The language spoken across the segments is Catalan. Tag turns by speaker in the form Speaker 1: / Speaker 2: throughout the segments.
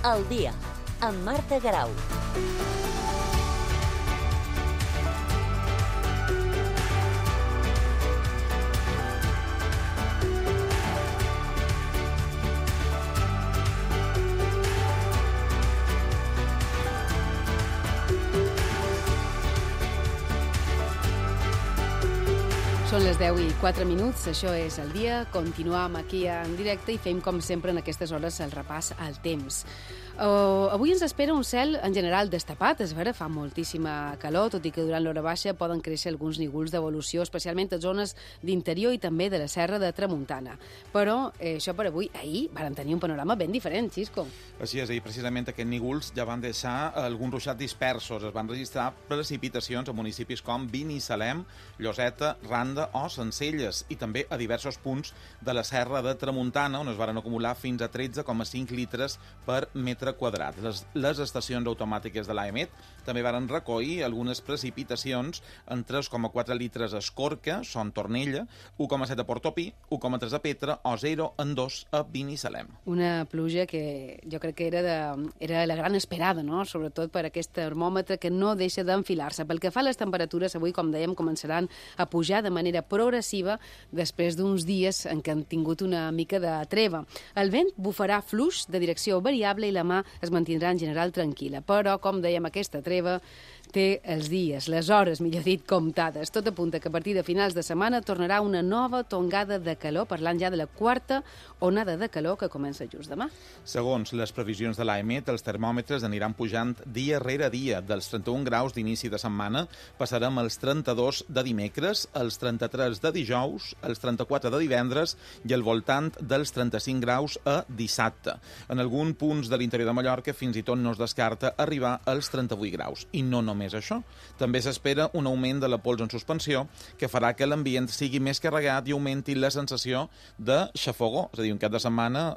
Speaker 1: al dia, amb Marta Garau.
Speaker 2: Són les 10:04, això és el dia. Continuem aquí en directe i fem, com sempre, en aquestes hores el repàs al temps. Avui ens espera un cel en general destapat, és vera, fa moltíssima calor, tot i que durant l'hora baixa poden créixer alguns nígols d'evolució, especialment a zones d'interior i també de la serra de Tramuntana. Però això per avui, ahir varen tenir un panorama ben diferent, Xisco.
Speaker 3: Així és, ahir precisament aquests nígols ja van deixar alguns ruixats dispersos. Es van registrar precipitacions a municipis com Binissalem, Lloseta, Randa o Sencelles i també a diversos punts de la serra de Tramuntana, on es van acumular fins a 13,5 litres per metre quadrat. Les estacions automàtiques de l'AEMET també varen recollir algunes precipitacions en 3,4 litres a Escorca, Son Tornella, 1,7 a Portopí, 1,3 a Petra o 0,2 a Binissalem.
Speaker 2: Una pluja que jo crec que era la gran esperada, no? Sobretot per aquest termòmetre que no deixa d'enfilar-se. Pel que fa a les temperatures, avui, com dèiem, començaran a pujar de manera progressiva després d'uns dies en què han tingut una mica de treva. El vent bufarà fluix de direcció variable i la mà es mantindrà en general tranquil·la. Però, com dèiem, aquesta treva té els dies, les hores, millor dit, comptades. Tot apunta que a partir de finals de setmana tornarà una nova tongada de calor, parlant ja de la quarta onada de calor que comença just demà.
Speaker 3: Segons les previsions de l'AEMET, els termòmetres aniran pujant dia rere dia. Dels 31 graus d'inici de setmana passarem als 32 de dimecres, als 33 de dijous, als 34 de divendres i al voltant dels 35 graus a dissabte. En alguns punts de l'interior de Mallorca fins i tot no es descarta arribar als 38 graus. I no només això. També s'espera un augment de la pols en suspensió que farà que l'ambient sigui més carregat i augmenti la sensació de xafogó. És a dir, un cap de setmana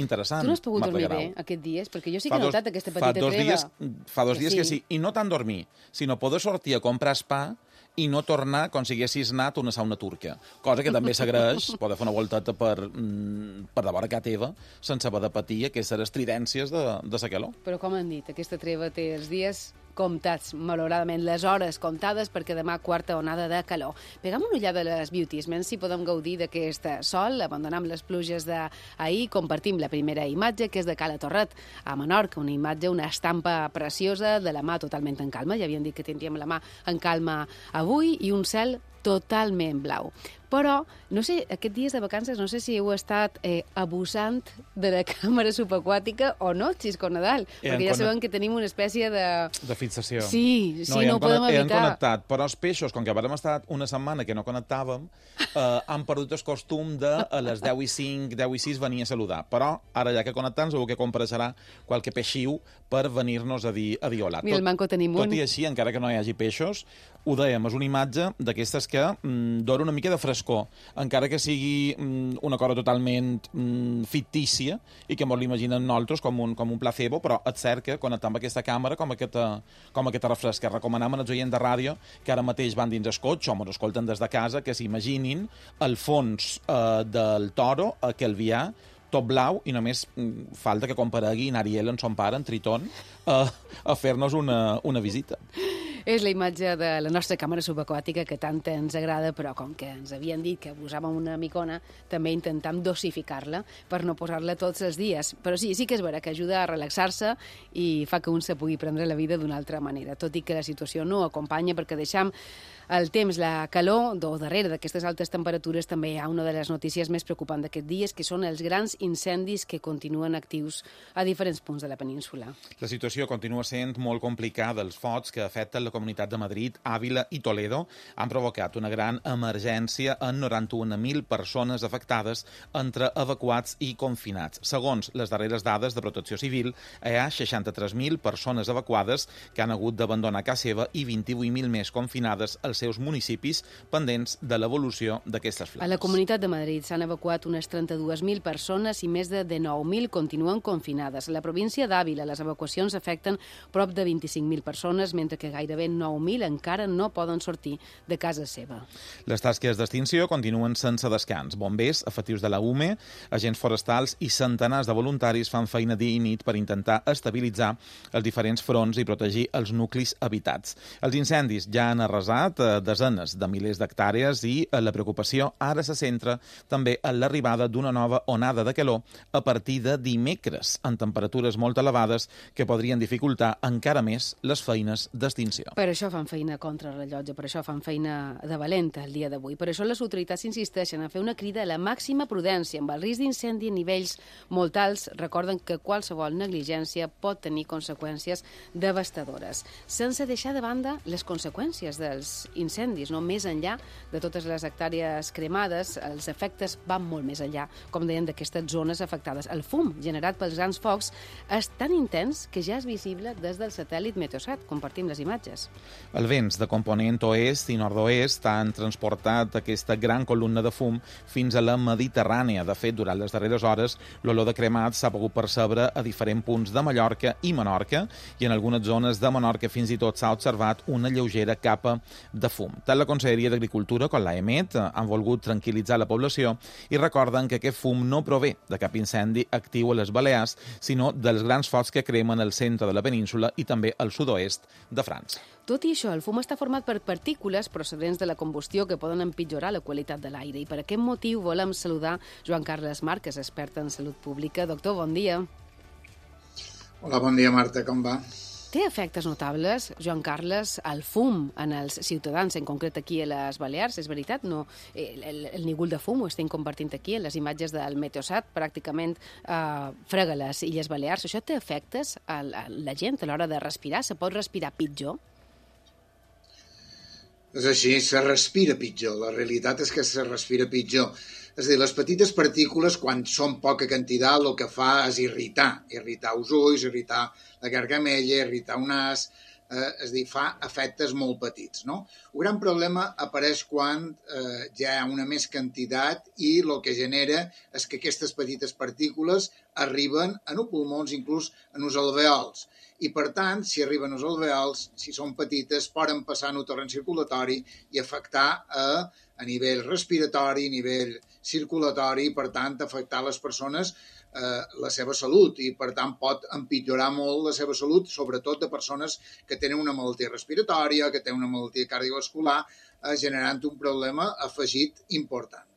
Speaker 3: interessant.
Speaker 2: Tu no has pogut dormir bé aquests dies? Perquè jo sí que he notat aquesta petita treva.
Speaker 3: Fa dos dies que sí. I no tant dormir, sinó poder sortir a comprar pa i no tornar com si haguessis anat a una sauna turca. Cosa que també s'agraeix, poder fer una volteta per de vora casa teva, sense haver de patir aquestes estridències de la calor.
Speaker 2: Però com han dit, aquesta treva té els dies comptats, malauradament, les hores comptades, perquè demà quarta onada de calor. Pegam una ullada a les beauties, menys si podem gaudir d'aquest sol, abandonem les pluges d'ahir, compartim la primera imatge, que és de Cala Torret, a Menorca, una imatge, una estampa preciosa, de la mà totalment en calma, ja havien dit que tindríem la mà en calma avui, i un cel totalment blau. Però, no sé, aquests dies de vacances, no sé si heu estat abusant de la càmera subaquàtica o no, Xisco Nadal, perquè ja sabem que tenim una espècie de...
Speaker 3: De fixació.
Speaker 2: Sí, no ho podem evitar.
Speaker 3: Hem connectat, però els peixos, com que vam estar una setmana que no connectàvem, han perdut el costum de a les 10:05, 10:06 venir a saludar. Però ara ja que connectem, segur que compareixerà qualque peixiu per venir-nos a dir hola.
Speaker 2: Mira, el manco tenim un.
Speaker 3: Tot i així, encara que no hi hagi peixos, ho dèiem, és una imatge d'aquestes que dona una mica de frescor, encara que sigui una cosa totalment fictícia i que ens l'imaginem nosaltres com un placebo, però és cert que connectant amb aquesta càmera com aquesta refresca. Recomanem als oients de ràdio que ara mateix van dins el cotxe o ens escolten des de casa que s'imaginin el fons del toro a Calvià, tot blau, i només falta que comparegui en Ariel, en son pare, en Tritón, a fer-nos una visita.
Speaker 2: És la imatge de la nostra càmera subaquàtica que tant ens agrada, però com que ens havien dit que abusàvem una micona, també intentam dosificar-la per no posar-la tots els dies. Però sí que és vera que ajuda a relaxar-se i fa que un se pugui prendre la vida d'una altra manera, tot i que la situació no acompanya, perquè deixam el temps, la calor, darrere d'aquestes altes temperatures també hi ha una de les notícies més preocupants d'aquests dies, que són els grans incendis que continuen actius a diferents punts de la península.
Speaker 3: La situació continua sent molt complicada. Els focs que afecten la Comunitat de Madrid, Àvila i Toledo han provocat una gran emergència en 91.000 persones afectades entre evacuats i confinats. Segons les darreres dades de Protecció Civil, hi ha 63.000 persones evacuades que han hagut d'abandonar casa seva i 28.000 més confinades als als seus municipis pendents de l'evolució d'aquestes flames.
Speaker 2: A la Comunitat de Madrid s'han evacuat unes 32.000 persones i més de 19.000 continuen confinades. A la província d'Àvila les evacuacions afecten prop de 25.000 persones, mentre que gairebé 9.000 encara no poden sortir de casa seva.
Speaker 3: Les tasques d'extinció continuen sense descans. Bombers, efectius de la UME, agents forestals i centenars de voluntaris fan feina dia i nit per intentar estabilitzar els diferents fronts i protegir els nuclis habitats. Els incendis ja han arrasat desenes de milers d'hectàrees i la preocupació ara se centra també en l'arribada d'una nova onada de calor a partir de dimecres, amb temperatures molt elevades que podrien dificultar encara més les feines d'extinció.
Speaker 2: Per això fan feina contra el rellotge, per això fan feina de valenta el dia d'avui. Per això les autoritats insisteixen a fer una crida a la màxima prudència. Amb el risc d'incendi a nivells molt alts, recorden que qualsevol negligència pot tenir conseqüències devastadores. Sense deixar de banda les conseqüències dels incendis, no? Més enllà de totes les hectàrees cremades, els efectes van molt més enllà, com deien, d'aquestes zones afectades. El fum generat pels grans focs és tan intens que ja és visible des del satèl·lit Meteosat. Compartim les imatges.
Speaker 3: Els vents de component oest i nord-oest han transportat aquesta gran columna de fum fins a la Mediterrània. De fet, durant les darreres hores, l'olor de cremat s'ha pogut percebre a diferents punts de Mallorca i Menorca, i en algunes zones de Menorca fins i tot s'ha observat una lleugera capa de fum. Tant la Conselleria d'Agricultura com l'AEMET han volgut tranquil·litzar la població i recorden que aquest fum no prové de cap incendi actiu a les Balears, sinó dels grans focs que cremen al centre de la península i també al sud-oest de França.
Speaker 2: Tot i això, el fum està format per partícules procedents de la combustió que poden empitjorar la qualitat de l'aire. I per aquest motiu volem saludar Joan Carles Marques, expert en salut pública. Doctor, bon dia.
Speaker 4: Hola, bon dia, Marta, com va?
Speaker 2: Té efectes notables, Joan Carles, el fum en els ciutadans, en concret aquí a les Balears, és veritat? No, el nígol de fum ho estem compartint aquí, en les imatges del Meteosat, pràcticament frega les Illes Balears. Això té efectes a la gent a l'hora de respirar? Se pot respirar pitjor?
Speaker 4: És així, se respira pitjor. La realitat és que se respira pitjor. És a dir, les petites partícules, quan són poca quantitat, el que fa és irritar els ulls, irritar la gargamella, irritar un nas, és a dir, fa efectes molt petits, no? Un gran problema apareix quan ja hi ha una més quantitat i el que genera és que aquestes petites partícules arriben en els pulmons, inclús en els alveols. I, per tant, si arriben als alveols, si són petites, poden passar en el torrent circulatori i afectar a nivell respiratori, a nivell circulatori, i, per tant, afectar les persones la seva salut, i, per tant, pot empitjorar molt la seva salut, sobretot de persones que tenen una malaltia respiratòria, que tenen una malaltia cardiovascular, generant un problema afegit important.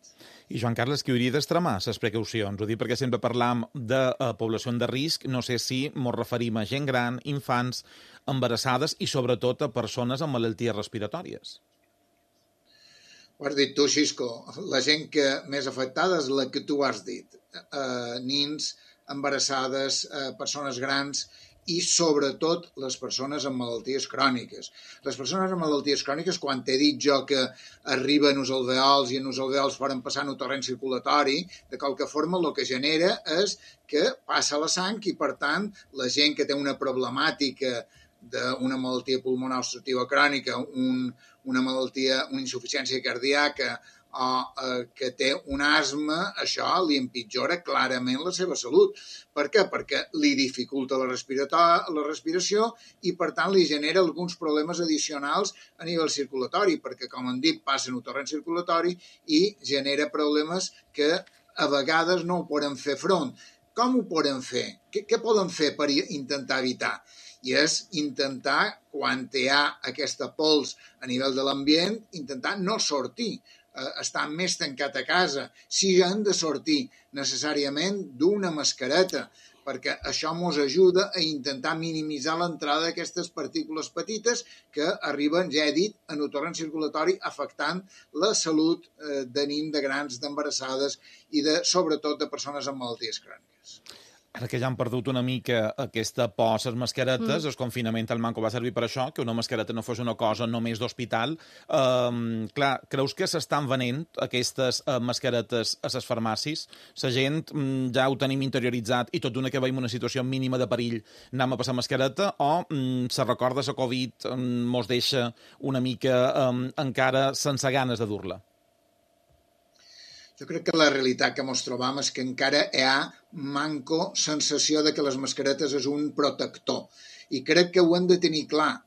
Speaker 3: I, Joan Carles, qui hauria d'extremar les precaucions? Ho dic perquè sempre parlam de població de risc, no sé si ens referim a gent gran, infants, embarassades i, sobretot, a persones amb malalties respiratòries.
Speaker 4: Ho has dit tu, Xisco. La gent que més afectada és la que tu has dit. Nins, embarassades, persones grans i, sobretot, les persones amb malalties cròniques. Les persones amb malalties cròniques, quan t'he dit jo que arriben als alveols i en els alveols poden passar en el torrent circulatori, de qualque forma el que genera és que passa la sang i, per tant, la gent que té una problemàtica d'una malaltia pulmonar obstructiva crònica, una malaltia, una insuficiència cardíaca o que té un asma, això li empitjora clarament la seva salut. Per què? Perquè li dificulta la respiració i, per tant, li genera alguns problemes addicionals a nivell circulatori, perquè, com hem dit, passa en el torrent circulatori i genera problemes que a vegades no ho poden fer front. Com ho poden fer? Què poden fer per intentar evitar? I és intentar, quan hi ha aquesta pols a nivell de l'ambient, intentar no sortir, estar més tancat a casa. Si han de sortir necessàriament d'una mascareta, perquè això ens ajuda a intentar minimitzar l'entrada d'aquestes partícules petites que arriben, ja he dit, en el torrent circulatori, afectant la salut de nens, de grans, d'embarassades i, sobretot, de persones amb malalties cròniques.
Speaker 3: Ara que ja han perdut una mica aquesta por a les mascaretes, el confinament al Manco va servir per això, que una mascareta no fos una cosa només d'hospital. Clar, creus que s'estan venent aquestes mascaretes a les farmàcies? La gent ja ho tenim interioritzat i tot d'una que veiem una situació mínima de perill anem a passar mascareta, o se recorda la Covid mos deixa una mica encara sense ganes de dur-la?
Speaker 4: Jo crec que la realitat que ens trobam és que encara hi ha manco sensació de que les mascaretes és un protector. I crec que ho hem de tenir clar.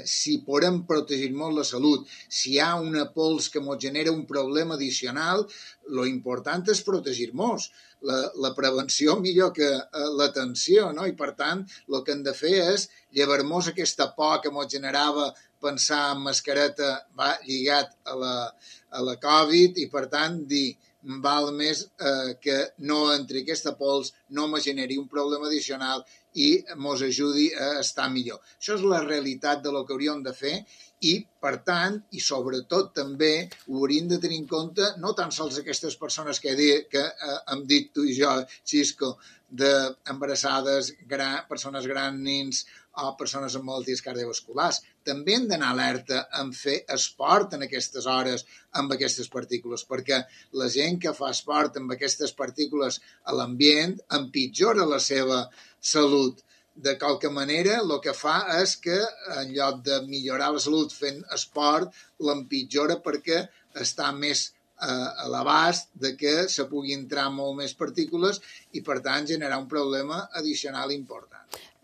Speaker 4: Si podem protegir molt la salut, si hi ha una pols que ens genera un problema addicional, lo important és protegir-nos. La prevenció millor que l'atenció, no? I per tant, el que hem de fer és llevar-nos aquesta por que ens generava pensar en mascareta va lligat a la Covid, i per tant dir val més que no entri aquesta pols, no me generi un problema addicional i mos ajudi a estar millor. Això és la realitat de lo que hauríem de fer, i, per tant, i sobretot també ho hauríem de tenir en compte no tan sols aquestes persones que hem dit tu i jo, Xisco, d'embarassades, persones grans, nins o persones amb malalties cardiovasculars. També hem d'anar alerta en fer esport en aquestes hores amb aquestes partícules, perquè la gent que fa esport amb aquestes partícules a l'ambient empitjora la seva salut. De qualque manera, el que fa és que, en lloc de millorar la salut fent esport, l'empitjora perquè està més a l'abast de que se pugui entrar molt més partícules i, per tant, generar un problema addicional important.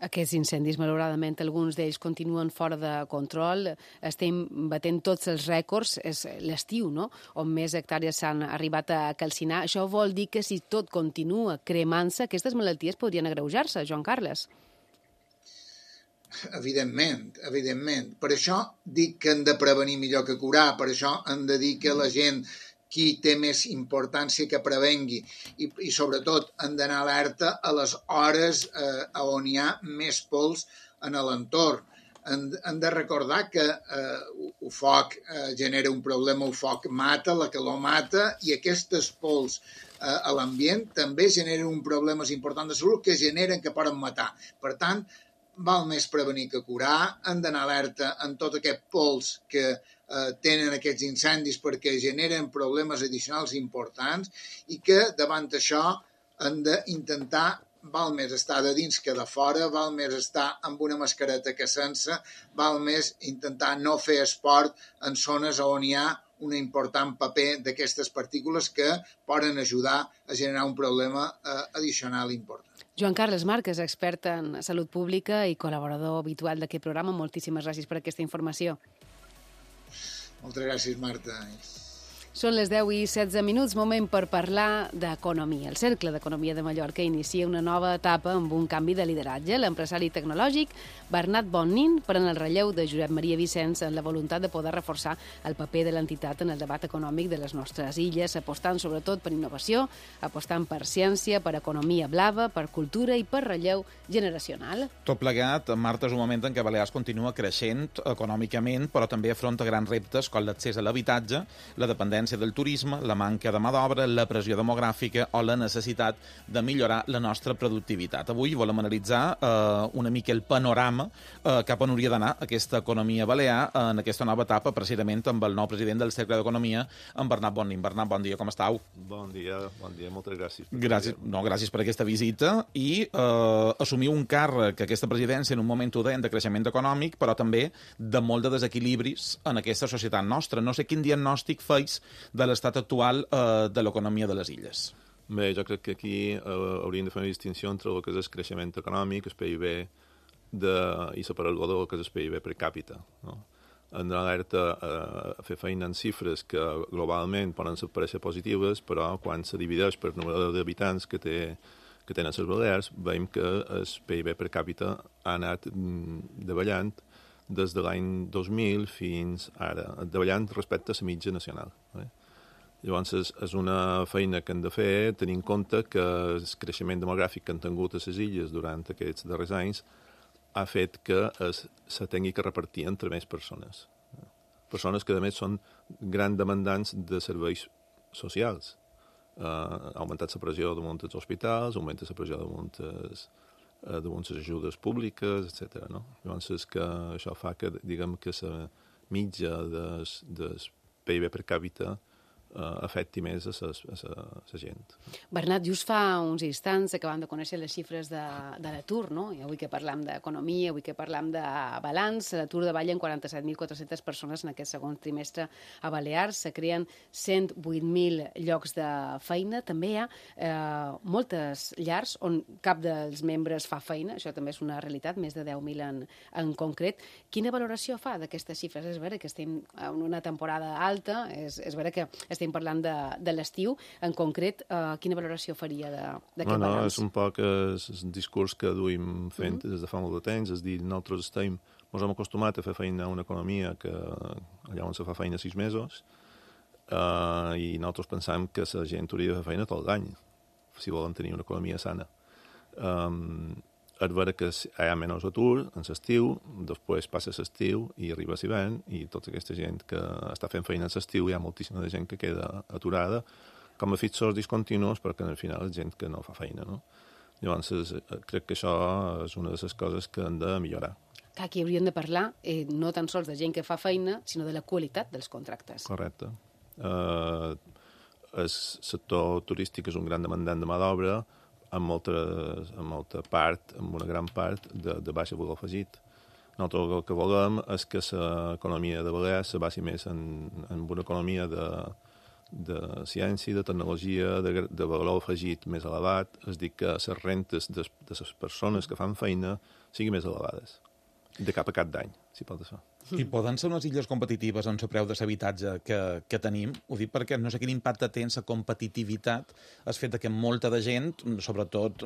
Speaker 2: Aquests incendis, malauradament, alguns d'ells continuen fora de control. Estem batent tots els rècords. És l'estiu, no?, on més hectàrees s'han arribat a calcinar. Això vol dir que si tot continua cremant-se, aquestes malalties podrien agreujar-se, Joan Carles.
Speaker 4: Evidentment. Per això dic que hem de prevenir millor que curar. Per això hem de dir que la gent qui té més importància que prevengui, i sobretot hem d'anar alerta a les hores on hi ha més pols en l'entorn. Hem de recordar que el foc genera un problema, el foc mata, la calor mata, i aquestes pols a l'ambient també generen un problema important de salut que generen que poden matar. Per tant, val més prevenir que curar. Hem d'anar alerta en tot aquest pols que tenen aquests incendis perquè generen problemes addicionals importants, i que davant això hem d'intentar, val més estar de dins que de fora, val més estar amb una mascareta que sense, val més intentar no fer esport en zones on hi ha un important paper d'aquestes partícules que poden ajudar a generar un problema addicional important.
Speaker 2: Joan Carles Marques, expert en salut pública i col·laborador habitual d'aquest programa. Moltíssimes gràcies per aquesta informació.
Speaker 4: Moltes gràcies, Marta.
Speaker 2: Són les 10:16, moment per parlar d'economia. El Cercle d'Economia de Mallorca inicia una nova etapa amb un canvi de lideratge. L'empresari tecnològic Bernat Bonnin pren el relleu de Josep Maria Vicenç en la voluntat de poder reforçar el paper de l'entitat en el debat econòmic de les nostres illes, apostant sobretot per innovació, apostant per ciència, per economia blava, per cultura i per relleu generacional.
Speaker 3: Tot plegat, Marta, és un moment en què Balears continua creixent econòmicament, però també afronta grans reptes com l'accés a l'habitatge, la dependència del turisme, la manca de mà d'obra, la pressió demogràfica o la necessitat de millorar la nostra productivitat. Avui volem analitzar una mica el panorama cap on hauria d'anar aquesta economia balear en aquesta nova etapa, precisament amb el nou president del Cercle d'Economia, en Bernat Bonnin. Bernat, bon dia, com estàu?
Speaker 5: Bon dia, moltes gràcies.
Speaker 3: Gràcies per aquesta visita i assumir un càrrec, aquesta presidència, en un moment udent de creixement econòmic, però també de molt de desequilibris en aquesta societat nostra. No sé quin diagnòstic feis de l'estat actual de l'economia de les illes.
Speaker 5: Bé, jo crec que aquí hauríem de fer una distinció entre el que és el creixement econòmic, el PIB i separar-lo del que és el PIB per càpita. No? Hem d'alerta a fer feina en xifres que globalment poden parèixer positives, però quan se divideix per número d'habitants que tenen les Balears, veiem que el PIB per càpita ha anat davallant des de l'any 2000 fins ara, davallant respecte a la mitja nacional. Llavors, és una feina que hem de fer, tenint en compte que el creixement demogràfic que han tingut a les illes durant aquests darrers anys ha fet que se tingui que repartir entre més persones. Persones que, a més, són grans demandants de serveis socials. ha augmentat la pressió damunt dels hospitals, augmenta la pressió damunt les ajudes públiques, etc. No? Llavors, és que això fa que, diguem, que la mitja del PIB per càpita afecti més a la gent.
Speaker 2: Bernat, just fa uns instants acabam de conèixer les xifres de l'atur, no? I avui que parlam d'economia, avui que parlam de balanç, l'atur davalla en 47.400 persones en aquest segon trimestre a Balears, se creen 108.000 llocs de feina, també hi ha moltes llars on cap dels membres fa feina, això també és una realitat, més de 10.000 en concret. Quina valoració fa d'aquestes xifres? És vera que estem en una temporada alta, és vera que estem parlant de l'estiu, en concret, quina valoració faria d'aquest balanç?
Speaker 5: És un poc el discurs que duim fent des de fa molt de temps, és dir, nosaltres ens hem acostumat a fer feina a una economia que allà on se fa feina 6 mesos i nosaltres pensam que la gent hauria de fer feina tot l'any si volen tenir una economia sana. És vera que hi ha menys atur en l'estiu, després passa l'estiu i arriba l'hivern i tota aquesta gent que està fent feina en l'estiu hi ha moltíssima de gent que queda aturada com a fixos discontinus perquè al final és gent que no fa feina. No? Llavors crec que això és una de les coses que hem de millorar.
Speaker 2: Que aquí hauríem de parlar no tan sols de gent que fa feina, sinó de la qualitat dels contractes.
Speaker 5: Correcte. El sector turístic és un gran demandant de mà d'obra amb una gran part de baixa valor afegit. Nosaltres el que volem és que l'economia de Balears se basi més en una economia de ciència, de tecnologia, de valor afegit més elevat, és a dir, que les rentes de les persones que fan feina siguin més elevades, de cap a cap d'any, si pot ser.
Speaker 3: I poden ser unes illes competitives en el preu de l'habitatge que tenim? Ho dic perquè no sé quin impacte té en la competitivitat el fet que molta de gent, sobretot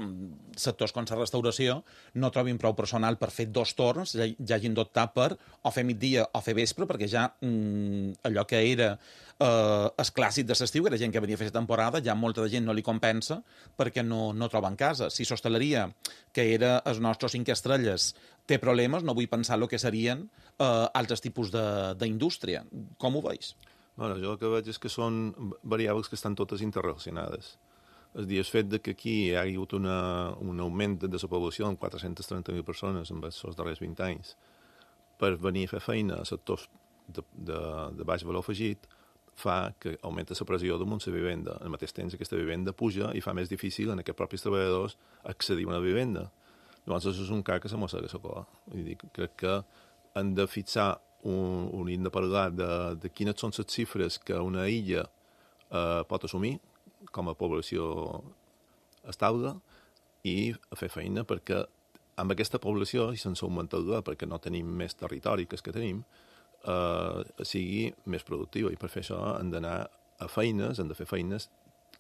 Speaker 3: sectors com la restauració, no trobin prou personal per fer 2 torns, ja hagin d'optar per o fer migdia o fer vespre, perquè ja allò que era el clàssic de l'estiu, que era gent que venia a fer la temporada, ja molta de gent no li compensa perquè no troben casa. Si l'hostaleria, que era els nostres 5 estrelles, té problemes, no vull pensar el que serien altres tipus d'indústria. Com ho veus?
Speaker 5: Bueno, jo el que veig és que són variables que estan totes interrelacionades. És a dir, el fet que aquí hi ha hagut un augment de la població en 430.000 persones en els darrers 20 anys per venir a fer feina a sectors de baix valor afegit fa que augmenta la pressió damunt la vivenda. Al mateix temps aquesta vivenda puja i fa més difícil en aquests propis treballadors accedir a una vivenda. Llavors, això és un cas que se mossega la cola. Vull dir, crec que hem de fixar hem de parlar de quines són les xifres que una illa pot assumir com a població estable i fer feina perquè amb aquesta població, i sense augmentar-la perquè no tenim més territori que el que tenim, sigui més productiva. I per fer això hem d'anar a feines, hem de fer feines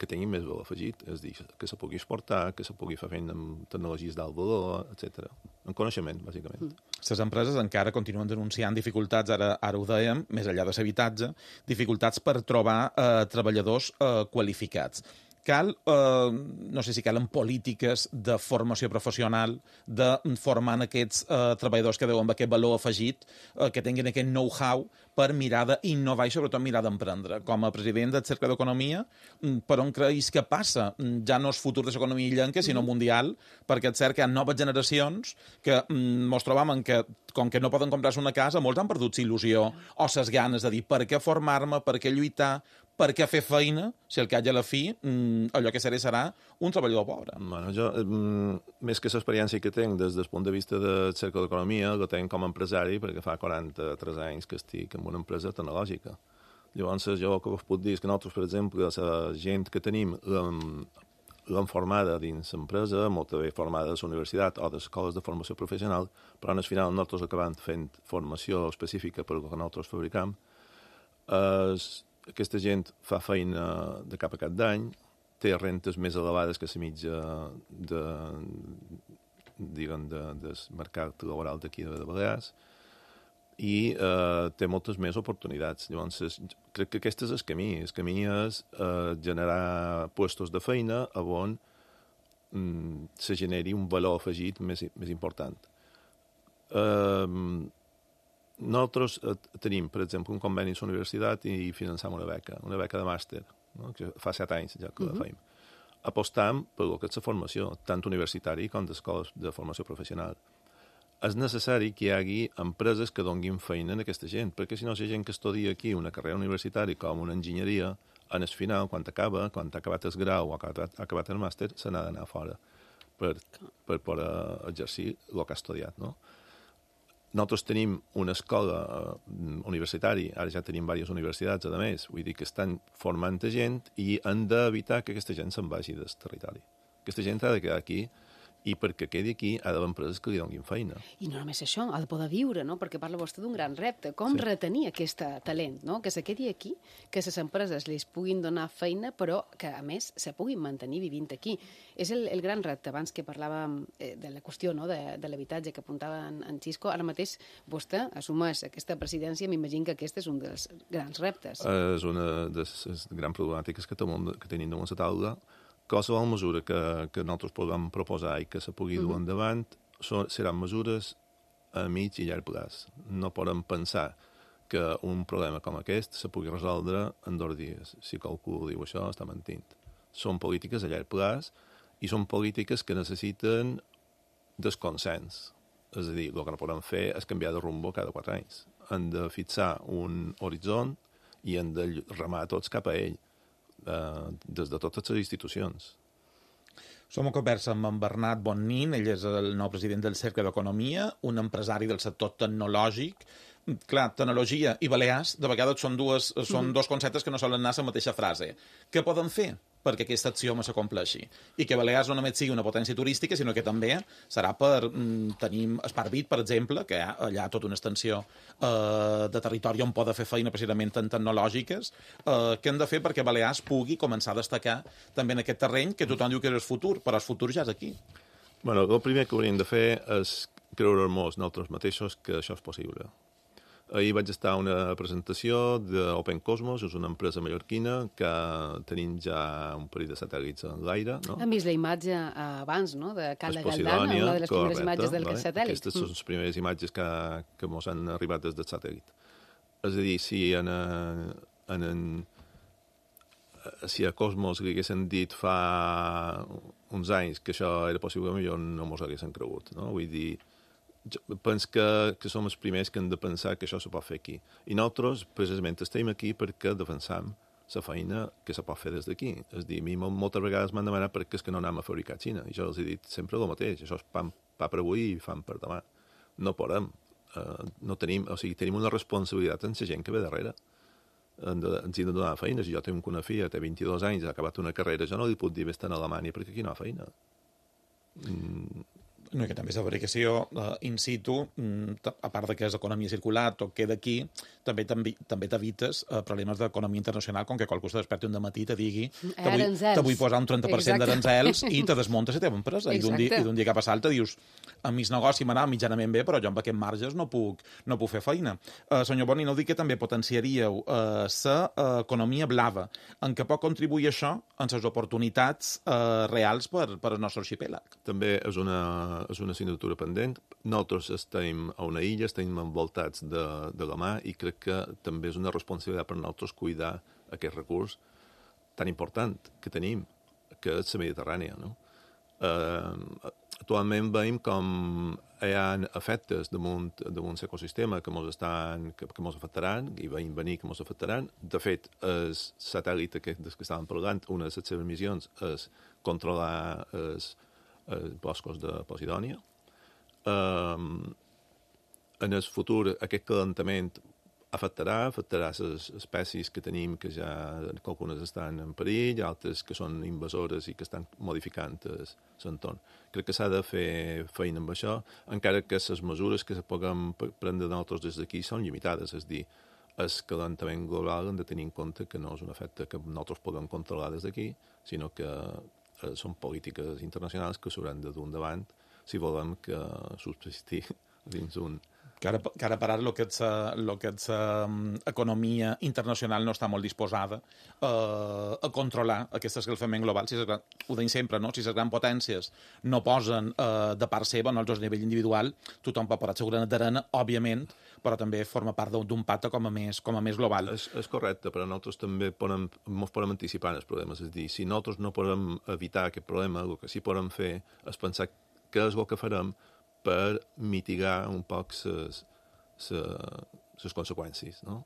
Speaker 5: que tinguin més valor afegit, és a dir, que se pugui exportar, que se pugui fer feina amb tecnologies d'alt valor, etc. En coneixement, bàsicament.
Speaker 3: Les empreses encara continuen denunciant dificultats, ara ho dèiem, més enllà de l'habitatge, dificultats per trobar treballadors qualificats. Cal, no sé si calen polítiques de formació professional, de formar aquests treballadors que deuen amb aquest valor afegit, que tinguin aquest know-how per mirar d'innovar i sobretot mirar d'emprendre. Com a president del Cercle d'Economia, per on creus que passa? Ja no és futur de l'economia illenca, sinó mundial, perquè és cert que hi ha noves generacions que ens trobam que, com que no poden comprar-se una casa, molts han perdut il·lusió o ses ganes de dir per què formar-me, per què lluitar, per què fer feina, si al cap i a la fi allò que serà un treballador pobre.
Speaker 5: Bueno, jo, més que l'experiència que tinc des del punt de vista del Cercle d'Economia, la tinc com a empresari perquè fa 43 anys que estic en una empresa tecnològica. Llavors, jo el que us puc dir és que nosaltres, per exemple, la gent que tenim l'hem formada dins l'empresa, molt bé formada a la universitat o a les escoles de formació professional, però al final nosaltres acabem fent formació específica per al que nosaltres fabricam. Aquesta gent fa feina de cap a cap d'any, té rentes més elevades que la mitja del mercat laboral d'aquí de Balears i té moltes més oportunitats. Llavors, crec que aquest és el camí. El camí és generar puestos de feina on se generi un valor afegit més important. Nosaltres tenim, per exemple, un conveni amb la universitat i financem una beca de màster. no? Que fa 7 anys ja que la feim. Apostam per el que és la formació, tant universitària com d'escoles de formació professional. És necessari que hi hagi empreses que donguin feina a aquesta gent, perquè si no, la gent que estudia aquí una carrera universitària com una enginyeria, en el final, quan ha acabat el grau o ha acabat el màster, se n'ha d'anar fora per poder exercir el que ha estudiat, no? Nosaltres tenim una escola universitària, ara ja tenim diverses universitats, a més, vull dir que estan formant gent i han d'evitar que aquesta gent se'n vagi del territori. Aquesta gent ha de quedar aquí i perquè quedi aquí ha d'haver empreses que li donin feina.
Speaker 2: I no només això, ha de poder viure, no? Perquè parla vostè d'un gran repte. Com retenir aquest talent, no? Que se quedi aquí, que les empreses li puguin donar feina, però que, a més, se puguin mantenir vivint aquí. És el gran repte. Abans que parlàvem de la qüestió, no? de l'habitatge que apuntava en Xisco, ara mateix vostè assumeix aquesta presidència, m'imagino que aquest és un dels grans reptes.
Speaker 5: És una de les grans problemàtiques que tenim damunt la taula. Qualsevol mesura que nosaltres podem proposar i que se pugui dur endavant seran mesures a mig i llarg plaç. No podem pensar que un problema com aquest se pugui resoldre en 2 dies. Si qualcú diu això, està mentint. Són polítiques a llarg plaç i són polítiques que necessiten desconsens. És a dir, el que no podem fer és canviar de rumbo cada 4 anys. Hem de fixar un horitzó i hem de remar tots cap a ell. Des de totes les institucions.
Speaker 3: Som a conversa amb en Bernat Bonnin, ell és el nou president del Cercle d'Economia, un empresari del sector tecnològic. Clar, tecnologia i Balears, de vegades són dos conceptes que no solen anar a la mateixa frase. Què poden fer perquè aquesta axioma s'acompleixi? I que Balears no només sigui una potència turística, sinó que també serà per tenir Esparvit, per exemple, que hi ha allà tota una extensió de territori on poden fer feina precisament en tecnològiques. Què hem de fer perquè Balears pugui començar a destacar també en aquest terreny que tothom diu que és el futur, però el futur ja és aquí.
Speaker 5: Bueno, el primer que hauríem de fer és creure-nos nosaltres mateixos que això és possible. Ahir vaig estar a una presentació d'Open Cosmos, és una empresa mallorquina que tenim ja un parell de satèl·lits en l'aire. No?
Speaker 2: Hem vist la imatge abans, no?, de Cala Galdana, una de les primeres imatges del satèl·lit.
Speaker 5: Aquestes són les primeres imatges que ens han arribat des del satèl·lit. És a dir, si a Cosmos li haguessin dit fa uns anys que això era possible, millor no mos haguessin cregut. No? Vull dir, penso que som els primers que hem de pensar que això se pot fer aquí. I nosaltres, precisament, estem aquí perquè defensam la feina que se pot fer des d'aquí. És a dir, a mi moltes vegades m'han demanat per què és que no anem a fabricar a Xina. I jo els he dit sempre el mateix. Això és pa per avui i fam per demà. No podem. No tenim, o sigui, tenim una responsabilitat en la gent que ve darrere. Ens hi de donar feina. Si jo tinc una filla, té 22 anys, ha acabat una carrera, jo no li puc dir vés-te a Alemanya perquè aquí no ha feina.
Speaker 3: No, que també és la fabricació in situ, a part de que és economia circular, tot queda aquí, també t'evites problemes d'economia internacional, com que qualcú se desperti un dematí i te digui te vull posar un 30% d'aranzels i te desmunta la teva empresa. I d'un dia cap a l'altre dius, a mi el negoci m'anava mitjanament bé, però jo amb aquests marges no puc fer feina. Senyor Boni, no dic que també potenciaríeu l'economia blava, en què pot contribuir això en les oportunitats reals per al nostre arxipèlag?
Speaker 5: També és una assignatura pendent. Nosaltres estem a una illa, estem envoltats de la mar i crec que també és una responsabilitat per nosaltres cuidar aquest recurs tan important que tenim, que és la Mediterrània. No? Actualment veiem com hi ha efectes damunt l'ecosistema que ens afectaran, i veiem venir que ens afectaran. De fet, el satèl·lit que estàvem parlant, una de les seves missions és controlar els boscos de Posidònia. En el futur aquest calentament afectarà les espècies que tenim, que ja algunes estan en perill, altres que són invasores i que estan modificant l'entorn. Crec que s'ha de fer feina amb això, encara que les mesures que se puguem prendre nosaltres des d'aquí són limitades, és a dir, el calentament global hem de tenir en compte que no és un efecte que nosaltres podem controlar des d'aquí, sinó que són polítiques internacionals que s'hauran de dur endavant si volem que subsistir dins un...
Speaker 3: Que ara per ara el que és economia internacional no està molt disposada a controlar aquest escalfament global. Ho deim sempre, no? Si les grans potències no posen de part seva, no, a nivell individual, tothom pot posar el seu granet d'arena, òbviament, però també forma part d'un pacte com a més global.
Speaker 5: És correcte, però nosaltres també ens podem anticipar els problemes. És a dir, si nosaltres no podem evitar aquest problema, el que sí podem fer és pensar què és el que farem per mitigar un poc les conseqüències, no?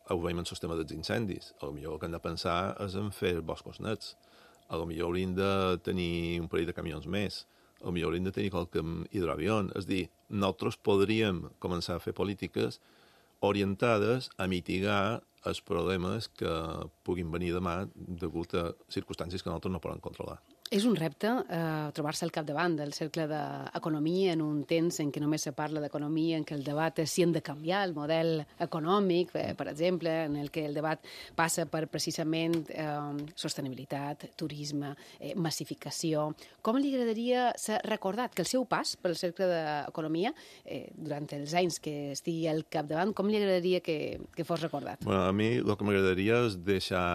Speaker 5: Ho veiem en el sistema dels incendis. Potser el que hem de pensar és en fer boscos nets. Potser hauríem de tenir un parell de camions més. Potser hauríem de tenir qualque hidroavió. És a dir, nosaltres podríem començar a fer polítiques orientades a mitigar els problemes que puguin venir demà degut a circumstàncies que nosaltres no podem controlar.
Speaker 2: És un repte trobar-se al capdavant del cercle d'economia en un temps en què només se parla d'economia, en què el debat és si hem de canviar el model econòmic, per exemple, en el que el debat passa per precisament sostenibilitat, turisme, massificació. Com li agradaria ser recordat que el seu pas pel cercle d'economia, durant els anys que estigui al capdavant, com li agradaria que fos recordat?
Speaker 5: Bueno, a mi el que m'agradaria és deixar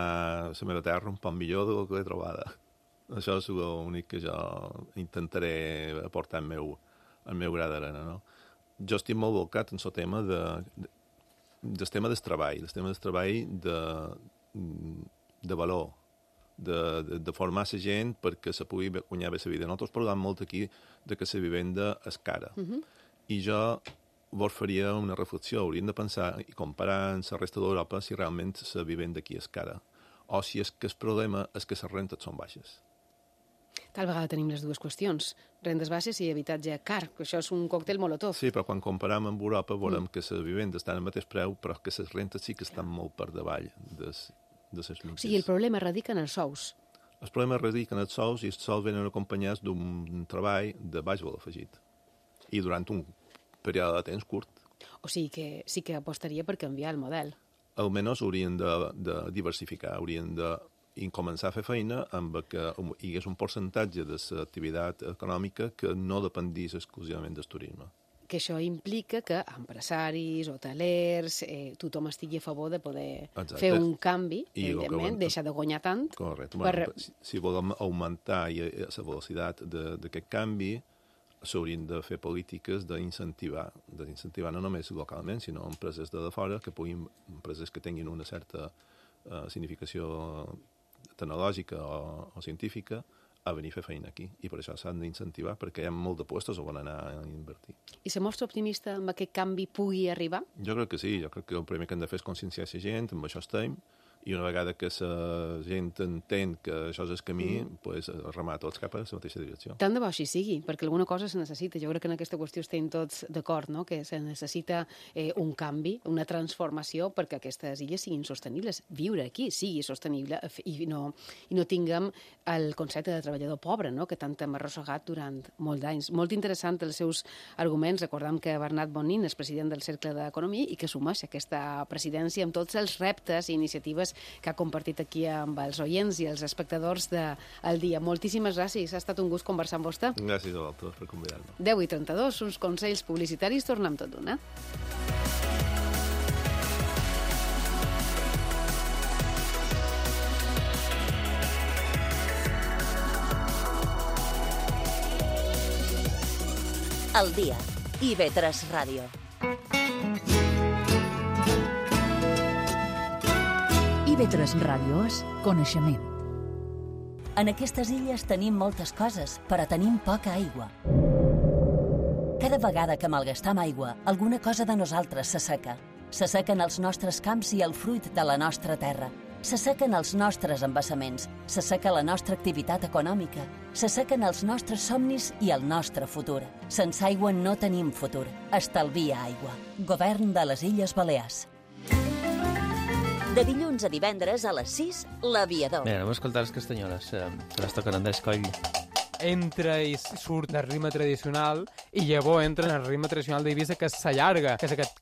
Speaker 5: la meva terra un poc millor del que l'he trobada. Això és l'únic que jo intentaré aportar el meu gra d'arena, no? Jo estic molt volcat en el tema del tema del treball, de valor, de formar la gent perquè se pugui guanyar bé la vida. Nosaltres parlem molt aquí de que la vivenda és cara. I jo vos faria una reflexió. Hauríem de pensar i comparar amb la resta d'Europa si realment la vivenda aquí és cara o si és que el problema és que les rentes són baixes.
Speaker 2: Tal vegada tenim les dues qüestions, rendes baixes i habitatge car, que això és un còctel molotov.
Speaker 5: Sí, però quan comparem amb Europa veurem que les vivendes estan al mateix preu, però que les rentes sí que estan molt per davall de les mitges.
Speaker 2: O sigui, el problema radica en els sous.
Speaker 5: Els problemes radiquen en els sous i els sous venen acompanyats d'un treball de baix valor afegit. I durant un període de temps curt.
Speaker 2: O sigui que sí que apostaria per canviar el model.
Speaker 5: Almenys haurien de diversificar, haurien de començar a fer feina amb que hi hagués un percentatge de l'activitat econòmica que no dependís exclusivament del turisme.
Speaker 2: Que això implica que empresaris, hotelers, tothom estigui a favor de poder fer un canvi, evidentment, deixar de guanyar tant.
Speaker 5: Correcte. Si volem augmentar la velocitat d'aquest canvi, s'haurien de fer polítiques d'incentivar no només localment, sinó empreses de fora, empreses que tinguin una certa significació tecnològica o científica, a venir a fer feina aquí. I per això s'han d'incentivar, perquè hi ha molt de puestos on anar a invertir.
Speaker 2: I se mostra optimista amb aquest canvi pugui arribar?
Speaker 5: Jo crec que sí. Jo crec que el primer que hem de fer és conscienciar la gent, amb això estem, i una vegada que la gent entén que això és el camí, pues, remar tots cap a la mateixa direcció.
Speaker 2: Tant de bo així sigui, perquè alguna cosa se necessita. Jo crec que en aquesta qüestió estem tots d'acord, no? Que se necessita un canvi, una transformació perquè aquestes illes siguin sostenibles. Viure aquí sigui sostenible i no tinguem el concepte de treballador pobre, no? Que tant hem arrossegat durant molts anys. Molt interessant els seus arguments. Recordem que Bernat Bonin és president del Cercle d'Economia i que assumeix aquesta presidència amb tots els reptes i iniciatives que ha compartit aquí amb els oients i els espectadors del dia. Moltíssimes gràcies, ha estat un gust conversar amb vostè.
Speaker 5: Gràcies a vosaltres per convidar-me.
Speaker 2: 10:32, uns consells publicitaris, tornem tot d'una.
Speaker 1: El dia. IB3 Ràdio.
Speaker 6: IB3 Ràdio és coneixement.
Speaker 1: En aquestes illes tenim moltes coses, però tenim poca aigua. Cada vegada que malgastam aigua, alguna cosa de nosaltres s'asseca. S'assequen els nostres camps i el fruit de la nostra terra. S'assequen els nostres embassaments, s'asseca la nostra activitat econòmica, s'assequen els nostres somnis i el nostre futur. Sense aigua no tenim futur. Estalvia aigua. Govern de les Illes Balears. De dilluns a divendres a les 6, L'Aviador.
Speaker 7: Bé, anem a escoltar les castanyoles, que les toquen Andrés Coll.
Speaker 8: Entra i surt del ritme tradicional i llavors entra en el ritme tradicional d'Eivissa, que s'allarga, que és aquest...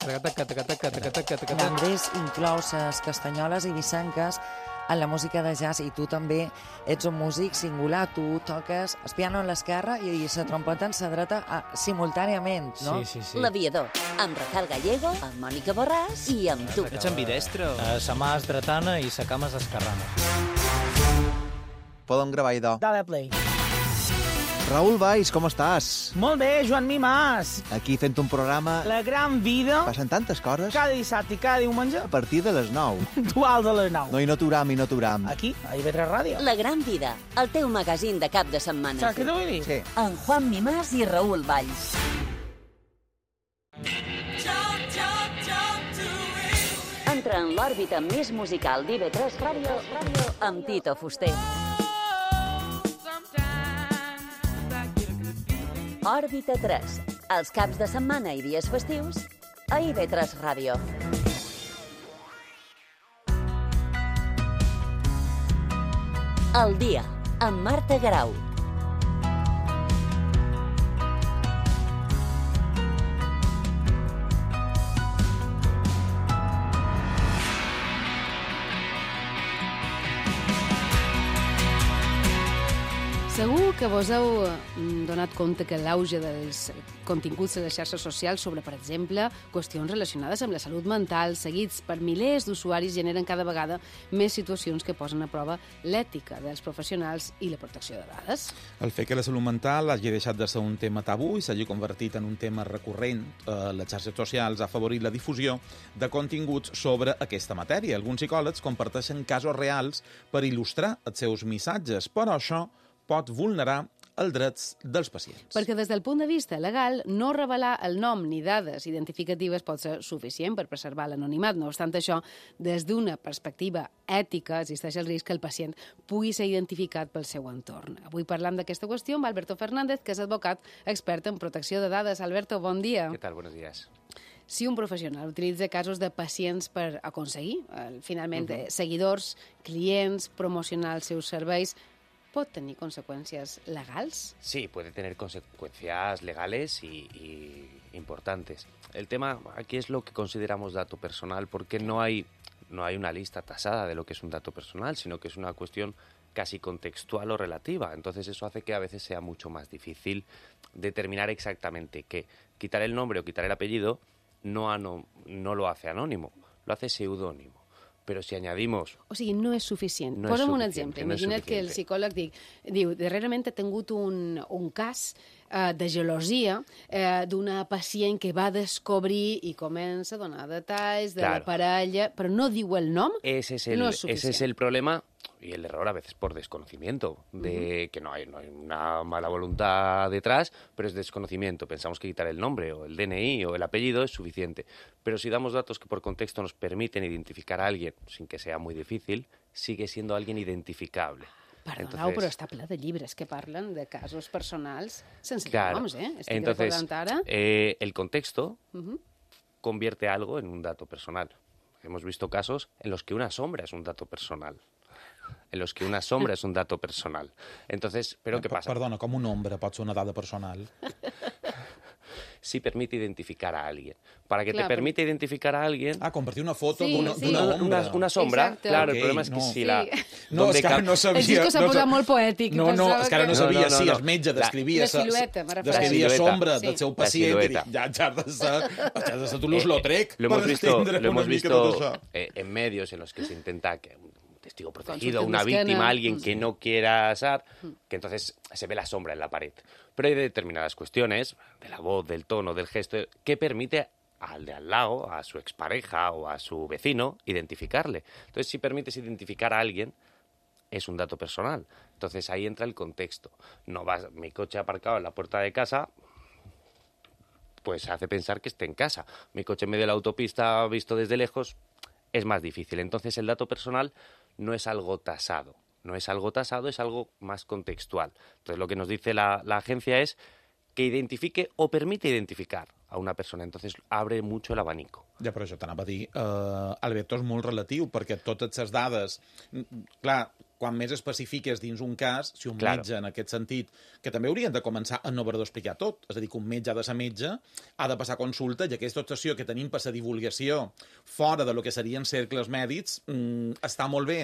Speaker 9: Andrés inclou les castanyoles eivissenques en la música de jazz, i tu també ets un músic singular, tu toques el piano a l'esquerra i la trompeta en la dreta simultàniament, no?
Speaker 8: Sí.
Speaker 1: L'Aviador, amb Rafael Gallego, amb Mònica Borràs i amb tu.
Speaker 7: Ets ambidestre?
Speaker 10: Sa mà és dretana i sa cama és esquerrana.
Speaker 11: Podem gravar idò.
Speaker 10: Dale play.
Speaker 11: Raül Valls, com estàs?
Speaker 12: Molt bé, Joan Mimàs.
Speaker 11: Aquí fent un programa...
Speaker 12: La gran vida.
Speaker 11: Passen tantes coses.
Speaker 12: Cada dissabte i cada diumenge.
Speaker 11: A partir de les 9.
Speaker 12: Dual de les 9.
Speaker 11: No, i no t'uram.
Speaker 12: Aquí, a IB3 Ràdio.
Speaker 1: La gran vida, el teu magazín de cap de setmana.
Speaker 12: Saps què t'ho vull dir?
Speaker 11: Sí.
Speaker 1: Amb Juan Mimàs i Raül Valls. Entra en l'òrbita més musical d'IB3 Ràdio amb Tito Fuster. Òrbita 3, els caps de setmana i dies festius a IB3 Ràdio. El dia, amb Marta Garau.
Speaker 2: Segur que vos heu donat compte que l'auge dels continguts de les xarxes socials sobre, per exemple, qüestions relacionades amb la salut mental, seguits per milers d'usuaris, generen cada vegada més situacions que posen a prova l'ètica dels professionals i la protecció de dades.
Speaker 3: El fet que la salut mental hagi deixat de ser un tema tabú i s'hagi convertit en un tema recurrent a les xarxes socials ha afavorit la difusió de continguts sobre aquesta matèria. Alguns psicòlegs comparteixen casos reals per il·lustrar els seus missatges, però això pot vulnerar els drets dels pacients.
Speaker 2: Perquè des del punt de vista legal, no revelar el nom ni dades identificatives pot ser suficient per preservar l'anonimat. No obstant això, des d'una perspectiva ètica, existeix el risc que el pacient pugui ser identificat pel seu entorn. Avui parlam d'aquesta qüestió amb Alberto Fernández, que és advocat expert en protecció de dades. Alberto, bon dia.
Speaker 13: ¿Qué tal? Buenos días.
Speaker 2: Si un professional utilitza casos de pacients per aconseguir, finalment, seguidors, clients, promocionar els seus serveis, ¿pot tener consecuencias legales?
Speaker 13: Sí, puede tener consecuencias legales y importantes. El tema aquí es lo que consideramos dato personal, porque no hay una lista tasada de lo que es un dato personal, sino que es una cuestión casi contextual o relativa. Entonces eso hace que a veces sea mucho más difícil determinar exactamente que quitar el nombre o quitar el apellido no lo hace anónimo, lo hace seudónimo. Però si añadimos...
Speaker 2: O sigui, no és suficient. Posa'm un exemple. Imagina't que el psicòleg diu, darrerament he tingut un cas de gelosia d'una pacient que va descobrir i comença a donar detalls de la parella, però no diu el nom, no és suficient.
Speaker 13: Ese es el problema y el error a veces por desconocimiento, de que no hay una mala voluntad detrás, pero es desconocimiento. Pensamos que quitar el nombre o el DNI o el apellido es suficiente. Pero si damos datos que por contexto nos permiten identificar a alguien, sin que sea muy difícil, sigue siendo alguien identificable.
Speaker 2: Perdoneu, però està ple de llibres que parlen de casos personals sense noms,
Speaker 13: Entonces, el contexto convierte algo en un dato personal. Hemos visto casos en los que una sombra es un dato personal. Entonces, ¿pero qué pasa?
Speaker 3: Perdona, com un nombre pot ser una dada personal?
Speaker 13: Sí permite identificar a alguien. Para que te permita identificar a alguien...
Speaker 3: compartir una foto d'una
Speaker 13: sombra.
Speaker 2: Exacte.
Speaker 13: Claro, el problema es que si la...
Speaker 3: No, és que ara no sabia...
Speaker 2: És que s'ha posat molt poètic.
Speaker 3: No, és que ara no sabia si el metge descrivia sombra del seu pacient i ja has de ser tu l'Uslautrec.
Speaker 13: Lo hemos visto en medios en los que se intenta que testigo protegido, una víctima, alguien que no quiera ser, que entonces se ve la sombra en la pared. Pero hay determinadas cuestiones, de la voz, del tono, del gesto, que permite al de al lado, a su expareja o a su vecino, identificarle. Entonces, si permites identificar a alguien, es un dato personal. Entonces, ahí entra el contexto. No vas, mi coche aparcado en la puerta de casa, pues hace pensar que esté en casa. Mi coche en medio de la autopista visto desde lejos es más difícil. Entonces, el dato personal no es algo tasado. Es algo más contextual. Entonces, lo que nos dice la agencia es que identifique o permite identificar a una persona. Entonces, abre mucho el abanico.
Speaker 3: Ja, però això t'anava a dir. Alberto, és molt relatiu, perquè totes les dades... Clar, quan més especifiques dins un cas, si un metge, en aquest sentit, que també haurien de començar a no haver d'explicar tot, és a dir, que un metge ha de ser metge, ha de passar consulta, i aquesta obsessió que tenim per la divulgació fora de lo que serien cercles mèdics està molt bé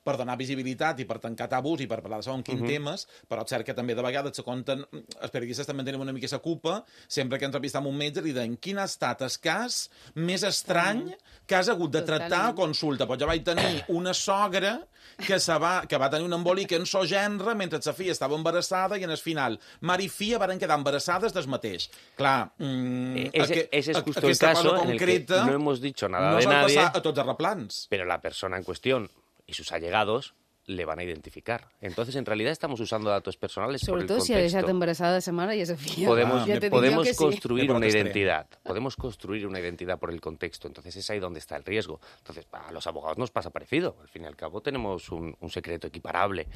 Speaker 3: per donar visibilitat i per tancar tabús i per parlar de segons quins temes, però és cert que també de vegades se compten, els periodistes també tenen una mica la culpa, sempre que entrevistam un metge li deien quin ha estat el cas més estrany que has hagut de tractar a consulta. Pues jo vaig tenir una sogra que que va tenir un embolic en so gènere mentre sa filla estava embarassada i en el final mare i filla van quedar embarassades del mateix. Clar,
Speaker 13: ese es justo el caso en el que no hemos dicho nada de nadie,
Speaker 3: a tots els replans.
Speaker 13: Pero la persona en cuestión y sus allegados le van a identificar. Entonces, en realidad, estamos usando datos personales por el contexto.
Speaker 2: Sobre todo si ha dejado embarazada a esa madre y a esa filla.
Speaker 13: Podemos construir una identidad. Podemos construir una identidad por el contexto. Entonces, es ahí donde está el riesgo. Entonces, a los abogados nos pasa parecido. Al fin y al cabo, tenemos un secreto equiparable.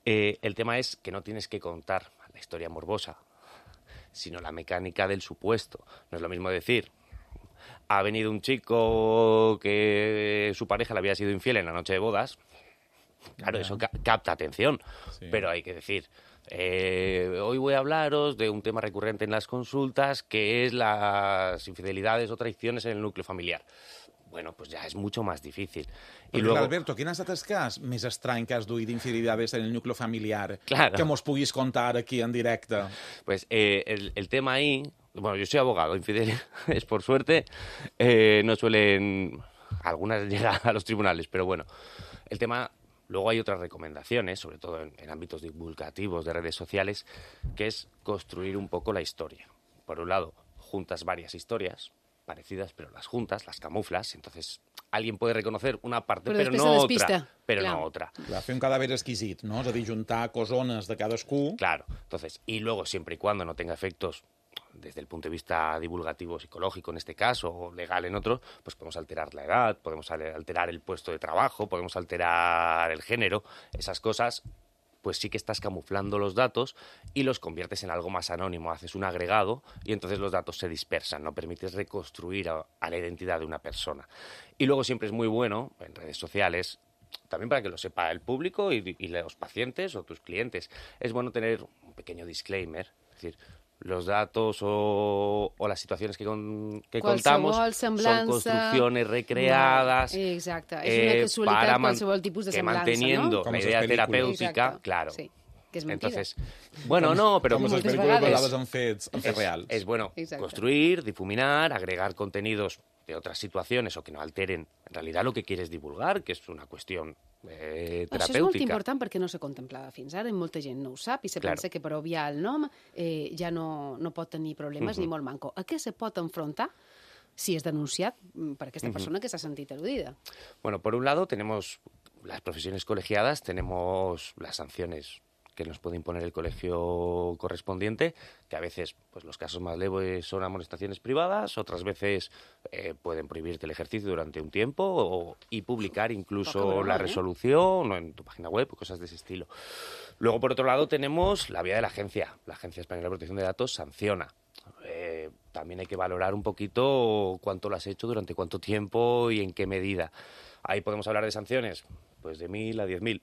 Speaker 13: El tema es que no tienes que contar la historia morbosa, sino la mecánica del supuesto. No es lo mismo decir, ha venido un chico que su pareja le había sido infiel en la noche de bodas. Claro, eso capta atención, sí. Pero hay que decir, hoy voy a hablaros de un tema recurrente en las consultas, que es las infidelidades o traiciones en el núcleo familiar. Bueno, pues ya es mucho más difícil.
Speaker 3: Y luego, Alberto, quin ha estat el cas més estrany que has duit d'infidelitats en el núcleo familiar?
Speaker 13: Claro.
Speaker 3: Que mos puguis contar aquí en directe.
Speaker 13: Pues el tema ahí... Bueno, yo soy abogado, infidelidades, por suerte, no suelen... Algunas llegan a los tribunales, pero bueno, el tema... Luego hay otras recomendaciones, sobre todo en ámbitos divulgativos de redes sociales, que es construir un poco la historia. Por un lado, juntas varias historias parecidas, pero las juntas, las camuflas, entonces alguien puede reconocer una parte, pero no otra. Pero no otra.
Speaker 3: Fer un cadàver exquisit, no? És a dir, juntar cosones de cadascú.
Speaker 13: Claro, entonces, y luego, siempre y cuando no tenga efectos desde el punto de vista divulgativo psicológico en este caso, o legal en otro, pues podemos alterar la edad, podemos alterar el puesto de trabajo, podemos alterar el género, esas cosas, pues sí que estás camuflando los datos y los conviertes en algo más anónimo, haces un agregado y entonces los datos se dispersan, no permites reconstruir a la identidad de una persona. Y luego siempre es muy bueno, en redes sociales, también para que lo sepa el público y los pacientes o tus clientes, es bueno tener un pequeño disclaimer, es decir, los datos o las situaciones que contamos son construcciones recreadas
Speaker 2: para
Speaker 13: manteniendo la idea terapéutica, claro.
Speaker 2: Sí. Que és mentida.
Speaker 13: Entonces, bueno, no, pero
Speaker 3: moltes vegades en fets reals.
Speaker 13: Es bueno construir, difuminar, agregar contenidos de otras situaciones o que no alteren en realidad lo que quieres divulgar, que és una qüestió terapèutica.
Speaker 2: Això és molt important perquè no se contemplava fins ara i molta gent no ho sap i se pensa que per obviar el nom ja no pot tenir problemes ni molt manco. A què se pot enfrontar si és denunciat per aquesta persona que s'ha sentit al·ludida?
Speaker 13: Bueno, por un lado tenemos las profesiones colegiadas, tenemos las sanciones que nos puede imponer el colegio correspondiente, que a veces pues los casos más leves son amonestaciones privadas, otras veces pueden prohibirte el ejercicio durante un tiempo y publicar incluso la resolución o en tu página web, cosas de ese estilo. Luego, por otro lado, tenemos la vía de la Agencia Española de Protección de Datos sanciona. También hay que valorar un poquito cuánto lo has hecho, durante cuánto tiempo y en qué medida. Ahí podemos hablar de sanciones, pues de 1.000 a 10.000.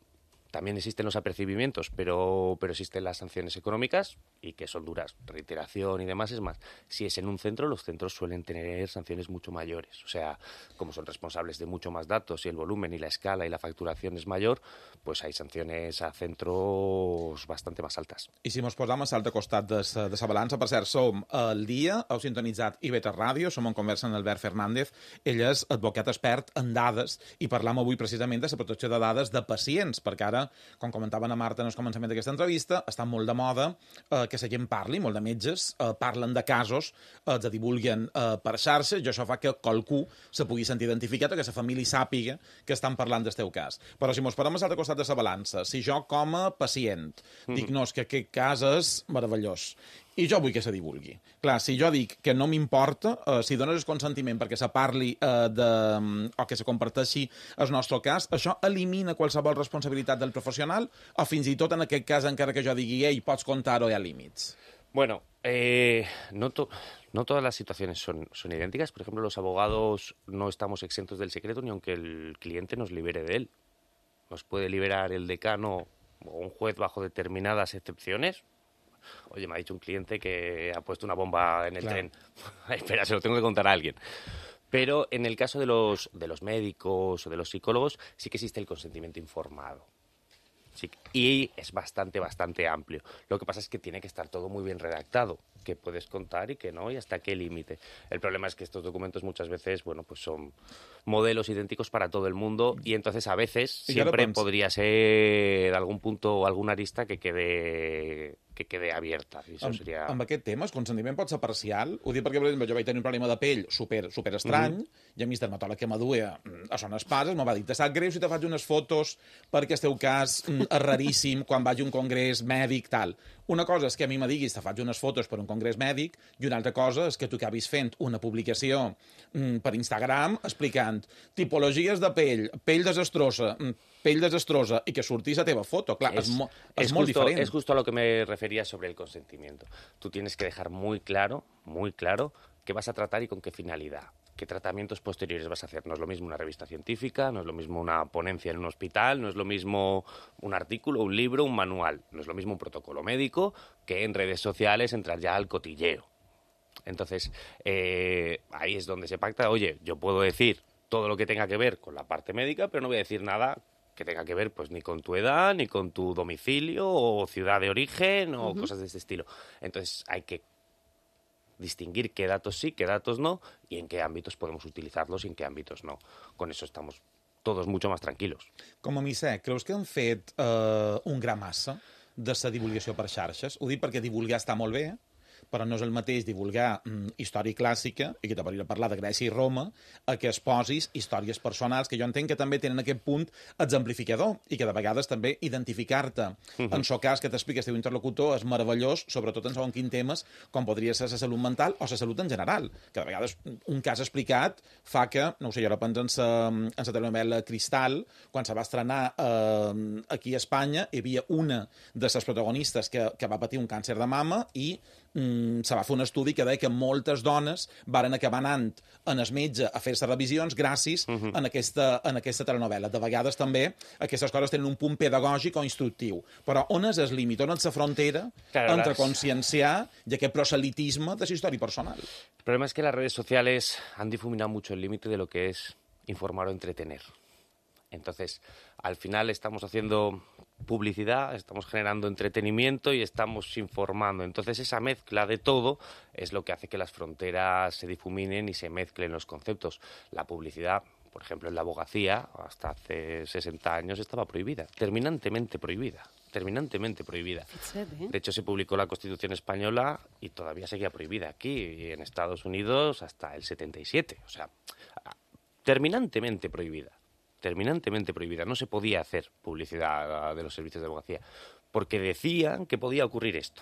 Speaker 13: También existen los apercibimientos, pero existen las sanciones económicas y que son duras, reiteración y demás. Es más, si es en un centro, los centros suelen tener sanciones mucho mayores. O sea, como son responsables de mucho más datos y el volumen y la escala y la facturación es mayor, pues hay sanciones a centros bastante más altas.
Speaker 3: I si mos posam a l'altre costat de sa balança, per cert, som al dia, heu sintonitzat IB3 Ràdio, som en conversa amb Albert Fernández, ell és advocat expert en dades i parlam avui precisament de la protecció de dades de pacients, perquè ara, com comentaven a Marta en el començament d'aquesta entrevista, està molt de moda que la gent parli, molt de metges parlen de casos, els divulguen per xarxa, i això fa que qualcú se pugui sentir identificat o que la família sàpiga que estan parlant del teu cas. Però si mos parem a l'altre costat de la balança, si jo com a pacient dic, no, és que aquest cas és meravellós, i jo vull que se divulgui. Clar, si jo dic que no m'importa, si dones el consentiment perquè se parli o que se comparteixi el nostre cas, això elimina qualsevol responsabilitat del professional o fins i tot en aquest cas, encara que jo digui, ei, pots contar-ho, hi ha límits?
Speaker 13: Bueno, no todas las situaciones son idénticas. Por ejemplo, los abogados no estamos exentos del secreto ni aunque el cliente nos libere de él. Nos puede liberar el decano o un juez bajo determinadas excepciones. Oye, me ha dicho un cliente que ha puesto una bomba en el tren. Espera, se lo tengo que contar a alguien. Pero en el caso de los médicos o de los psicólogos sí que existe el consentimiento informado. Sí, y es bastante amplio. Lo que pasa es que tiene que estar todo muy bien redactado, que puedes contar y que no, y hasta qué límite. El problema es que estos documentos muchas veces, bueno, pues son modelos idénticos para todo el mundo y entonces a veces siempre podría ser algun punto o alguna arista que quede abierta. I això seria...
Speaker 3: Amb aquest tema, el consentiment pot ser parcial? Ho dic perquè, per exemple, jo vaig tenir un problema de pell super estrany i a mi el dermatòleg que m'aduia a Son Espases me va dir, te sap greu si te faig unes fotos perquè el teu cas és raríssim quan vaig a un congrés mèdic, tal. Una cosa és que a mi me diguis te faig unes fotos per un congrés mèdic i una altra cosa és que tu acabis fent una publicació per Instagram explicant tipologies de pell desastrosa, i que sortís la teva foto. Clar, és molt diferent.
Speaker 13: Es justo a lo que me refería sobre el consentimiento. Tú tienes que dejar muy claro qué vas a tratar y con qué finalidad. ¿Qué tratamientos posteriores vas a hacer? No es lo mismo una revista científica, no es lo mismo una ponencia en un hospital, no es lo mismo un artículo, un libro, un manual. No es lo mismo un protocolo médico que en redes sociales entrar ya al cotilleo. Entonces, ahí es donde se pacta, oye, yo puedo decir todo lo que tenga que ver con la parte médica, pero no voy a decir nada que tenga que ver pues ni con tu edad, ni con tu domicilio o ciudad de origen o cosas de este estilo. Entonces hay que distinguir qué datos sí, qué datos no y en qué ámbitos podemos utilizarlos y en qué ámbitos no. Con eso estamos todos mucho más tranquilos.
Speaker 3: Com a Misec, creus que han fet un gra massa de la divulgació per xarxes? Ho dic perquè divulgar està molt bé, però no és el mateix divulgar història clàssica, i que te podria parlar de Grècia i Roma, a que es posis històries personals, que jo entenc que també tenen aquest punt exemplificador, i que de vegades també identificar-te en el cas que t'explica el teu interlocutor és meravellós, sobretot en segons quins temes, com podria ser la salut mental o la salut en general, que de vegades un cas explicat fa que, no ho sé, jo ara penso en la telenovela Cristal, quan se va estrenar aquí a Espanya, hi havia una de les protagonistes que va patir un càncer de mama i se va fer un estudi que deia que moltes dones varen acabar anant en el metge a fer-se revisions gràcies a aquesta telenovela. De vegades també aquestes coses tenen un punt pedagògic o instructiu. Però on és el límit? On és la frontera entre conscienciar i aquest proselitisme de la història personal?
Speaker 13: El problema es que las redes sociales han difuminado mucho el límite de lo que es informar o entretener. Entonces, al final estamos haciendo publicidad, estamos generando entretenimiento y estamos informando. Entonces, esa mezcla de todo es lo que hace que las fronteras se difuminen y se mezclen los conceptos. La publicidad, por ejemplo, en la abogacía, hasta hace 60 años estaba prohibida, terminantemente prohibida. De hecho, se publicó la Constitución española y todavía seguía prohibida aquí, y en Estados Unidos hasta el 77. O sea, terminantemente prohibida. No se podía hacer publicidad de los servicios de abogacía porque decían que podía ocurrir esto.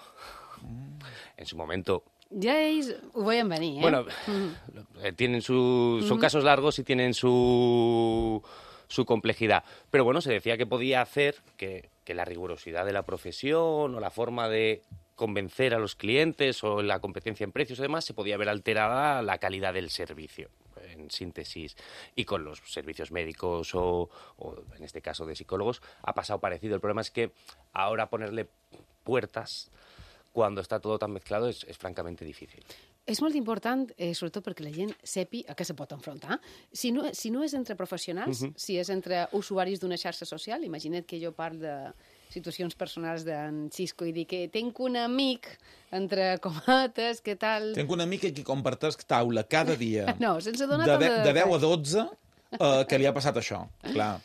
Speaker 13: En su momento...
Speaker 2: Ja ells ho veien venir,
Speaker 13: Bueno, tienen son casos largos y tienen su complejidad. Pero bueno, se decía que podía hacer que la rigurosidad de la profesión o la forma de convencer a los clientes o la competencia en precios y demás se podía ver alterada la calidad del servicio. En síntesis, y con los servicios médicos o en este caso de psicólogos, ha pasado parecido. El problema es que ahora ponerle puertas cuando está todo tan mezclado es francamente difícil.
Speaker 2: És molt important, sobretot perquè la gent sepi a què se pot enfrontar. Si no és entre professionals, si és entre usuaris d'una xarxa social, imagina't que jo parlo de situacions personals d'en Xisco i dic que tinc un amic, entre comates, què tal...
Speaker 3: Tinc un amic que comparteix taula cada dia.
Speaker 2: No, sense donar
Speaker 3: de 10 a 12 que li ha passat això, clar.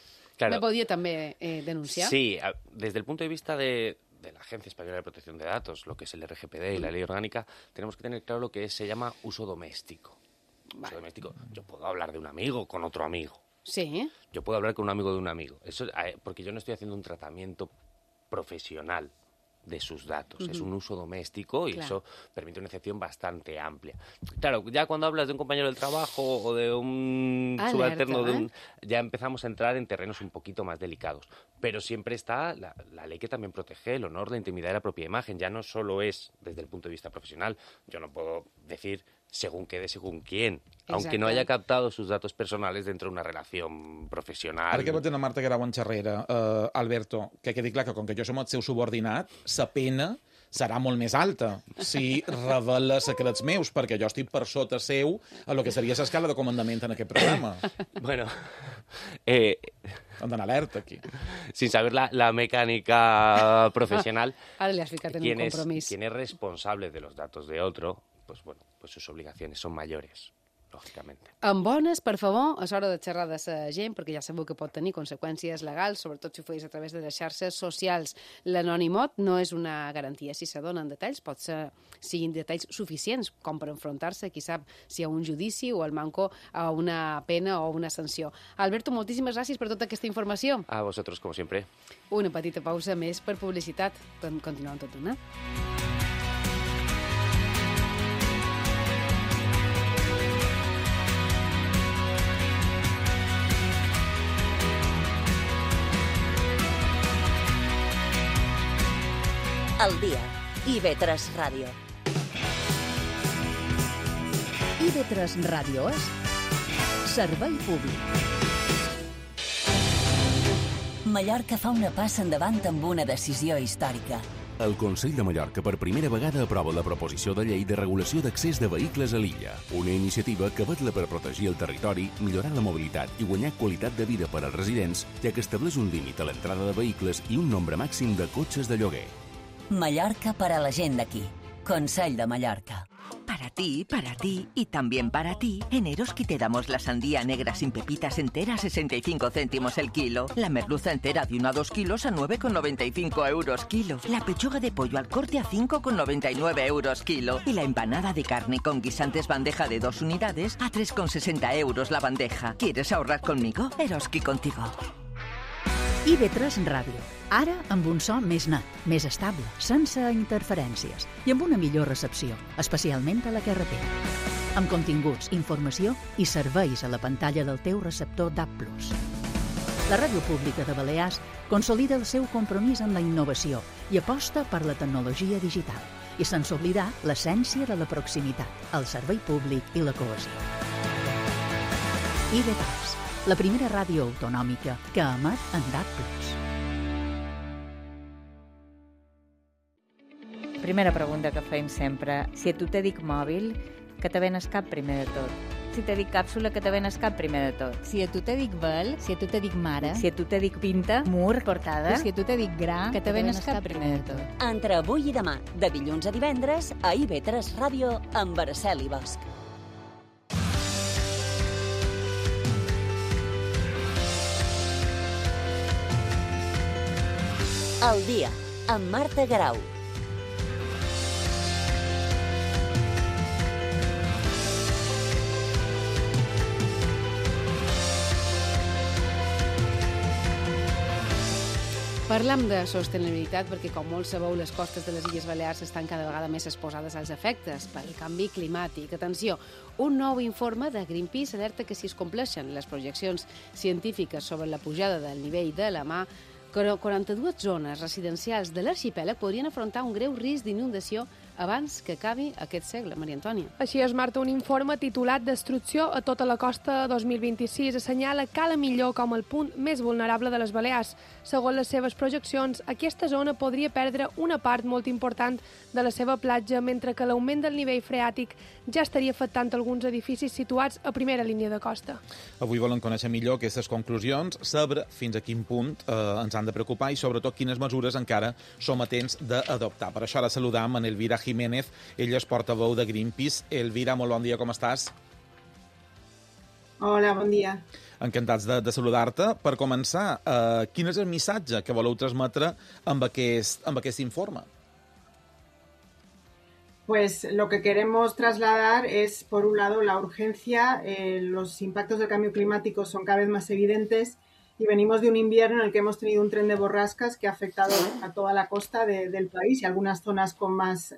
Speaker 2: Me podia també denunciar?
Speaker 13: Sí, desde el punto de vista de la Agencia Española de Protección de Datos, lo que es el RGPD y la ley orgánica, tenemos que tener claro lo que se llama uso doméstico. Uso doméstico. Yo puedo hablar de un amigo con otro amigo.
Speaker 2: Sí.
Speaker 13: Yo puedo hablar con un amigo de un amigo. Eso, porque yo no estoy haciendo un tratamiento profesional de sus datos. Es un uso doméstico y eso permite una excepción bastante amplia. Claro, ya cuando hablas de un compañero del trabajo o de un subalterno, ya empezamos a entrar en terrenos un poquito más delicados. Pero siempre está la ley que también protege el honor, la intimidad y la propia imagen. Ya no solo es desde el punto de vista profesional. Yo no puedo decir según qué de según quién,
Speaker 2: Exacte.
Speaker 13: aunque no haya captado sus datos personales dentro de una relación profesional.
Speaker 3: Ara que vaig anar Marta Grau en xerrera, Alberto, que quedi clar que com que jo som el seu subordinat, sa pena serà molt més alta si revela secrets meus, perquè jo estic per sota seu a lo que seria l'escala de comandament en aquest programa.
Speaker 13: Bueno,
Speaker 3: Hem d'anar alerta, aquí.
Speaker 13: Sin saber la mecánica profesional,
Speaker 2: Ara li has ficat en un compromís.
Speaker 13: quien es responsable de los datos de otro, pues bueno, pues sus obligaciones son mayores, lógicamente.
Speaker 2: Amb bones, per favor, és hora de xerrar de la gent, perquè ja sabeu que pot tenir conseqüències legals, sobretot si ho feis a través de les xarxes socials. L'anonimot no és una garantia. Si se donen detalls, pot ser siguin detalls suficients com per enfrontar-se, qui sap, si a un judici o al manco a una pena o una sanció. Alberto, moltíssimes gràcies per tota aquesta informació.
Speaker 13: A vosotros, como siempre.
Speaker 2: Una petita pausa més per publicitat. Continuem tot una.
Speaker 1: Al dia. IB3 Ràdio.
Speaker 6: IB3 Ràdio és servei públic.
Speaker 1: Mallorca fa una passa endavant amb una decisió històrica.
Speaker 14: El Consell de Mallorca per primera vegada aprova la proposició de llei de regulació d'accés de vehicles a l'illa, una iniciativa que vetla per protegir el territori, millorar la mobilitat i guanyar qualitat de vida per als residents, ja que estableix un límit a l'entrada de vehicles i un nombre màxim de cotxes de lloguer.
Speaker 1: Mallorca para la gent d'aquí. Consell de Mallorca.
Speaker 15: Para ti y también para ti, en Eroski te damos la sandía negra sin pepitas entera a 65 céntimos el kilo, la merluza entera de 1 a 2 kilos a 9,95 euros kilo, la pechuga de pollo al corte a 5,99 euros kilo y la empanada de carne con guisantes bandeja de 2 unidades a 3,60 euros la bandeja. ¿Quieres ahorrar conmigo? Eroski contigo.
Speaker 6: IB3 Ràdio. Ara amb un so més net, més estable, sense interferències i amb una millor recepció, especialment a la carretera. Amb continguts, informació i serveis a la pantalla del teu receptor DAB+. La Ràdio Pública de Balears consolida el seu compromís amb la innovació i aposta per la tecnologia digital i sense oblidar l'essència de la proximitat, el servei públic i la cohesió. IB3, la primera ràdio autonòmica que emet en DAB+.
Speaker 16: Primera pregunta que fem sempre. Si a tu te dic mòbil, que te ven el cap primer de tot. Si te dic càpsula, que te ven el cap primer de tot.
Speaker 17: Si a tu te dic vel, si a tu te dic mare,
Speaker 16: si a tu te dic pinta, mur, portada,
Speaker 17: si a tu te dic gra,
Speaker 16: que te ven el cap primer de tot.
Speaker 1: Entre avui i demà, de dilluns a divendres, a IB3 Ràdio amb Araceli Bosch. El dia, amb Marta Garau.
Speaker 2: Parlem de sostenibilitat perquè, com molts sabeu, les costes de les Illes Balears estan cada vegada més exposades als efectes pel canvi climàtic. Atenció, un nou informe de Greenpeace alerta que si es compleixen les projeccions científiques sobre la pujada del nivell de la mar, 42 zones residencials de l'arxipèlag podrien afrontar un greu risc d'inundació abans que acabi aquest segle. Maria Antònia.
Speaker 18: Així és, Marta, un informe titulat Destrucció a tota la costa 2026 assenyala Cala Millor com el punt més vulnerable de les Balears. Segons les seves projeccions, aquesta zona podria perdre una part molt important de la seva platja, mentre que l'augment del nivell freàtic ja estaria afectant alguns edificis situats a primera línia de costa.
Speaker 3: Avui volen conèixer millor aquestes conclusions, saber fins a quin punt ens han de preocupar i sobretot quines mesures encara som a temps d'adoptar. Per això ara saludam en Elvira Jiménez, ella és portaveu de Greenpeace. Elvira, molt bon dia, com estàs?
Speaker 19: Hola, bon dia.
Speaker 3: Encantats de saludar-te. Per començar, quin és el missatge que voleu transmetre amb aquest informe?
Speaker 19: Pues lo que queremos trasladar es, por un lado, la urgencia. Los impactos del cambio climático son cada vez más evidentes y venimos de un invierno en el que hemos tenido un tren de borrascas que ha afectado a toda la costa del país y algunas zonas con más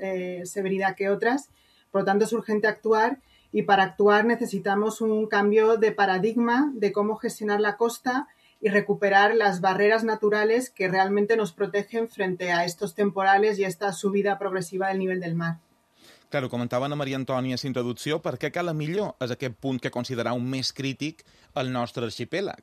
Speaker 19: severidad que otras. Por lo tanto, es urgente actuar y para actuar necesitamos un cambio de paradigma de cómo gestionar la costa y recuperar las barreras naturales que realmente nos protegen frente a estos temporales y esta subida progresiva del nivel del mar.
Speaker 3: Claro, comentava Ana Maria Antònia a la introducció, per què Cala Millor és aquest punt que considerau més crític al nostre arxipèlag?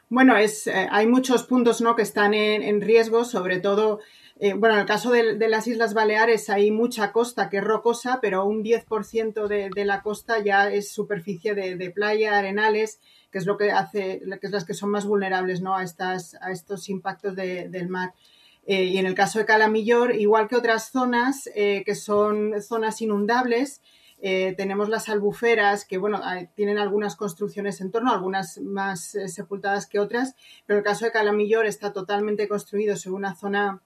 Speaker 19: Bueno, hay muchos puntos, ¿no?, que están en riesgo, sobre todo Bueno, en el caso de las Islas Baleares hay mucha costa que es rocosa, pero un 10% de la costa ya es superficie de playa, arenales, que es lo que hace, que es las que son más vulnerables, ¿no? a estos impactos del mar. Y en el caso de Cala Millor, igual que otras zonas que son zonas inundables, tenemos las albuferas que, bueno, tienen algunas construcciones en torno, algunas más sepultadas que otras, pero el caso de Cala Millor está totalmente construido sobre una zona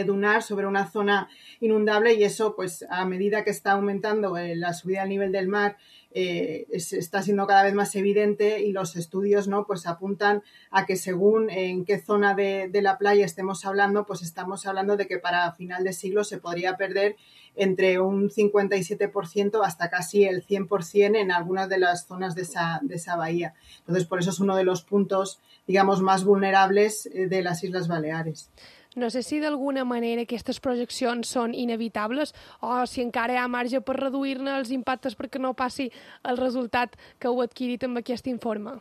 Speaker 19: dunar, sobre una zona inundable, y eso, pues a medida que está aumentando la subida del nivel del mar, está siendo cada vez más evidente, y los estudios, ¿no?, pues apuntan a que según en qué zona de la playa estemos hablando, pues estamos hablando de que para final de siglo se podría perder entre un 57% hasta casi el 100% en algunas de las zonas de esa bahía. Entonces, por eso es uno de los puntos, digamos, más vulnerables de las Islas Baleares.
Speaker 18: No sé si d'alguna manera aquestes projeccions són inevitables o si encara hi ha marge per reduir-ne els impactes perquè no passi el resultat que heu adquirit amb aquest informe.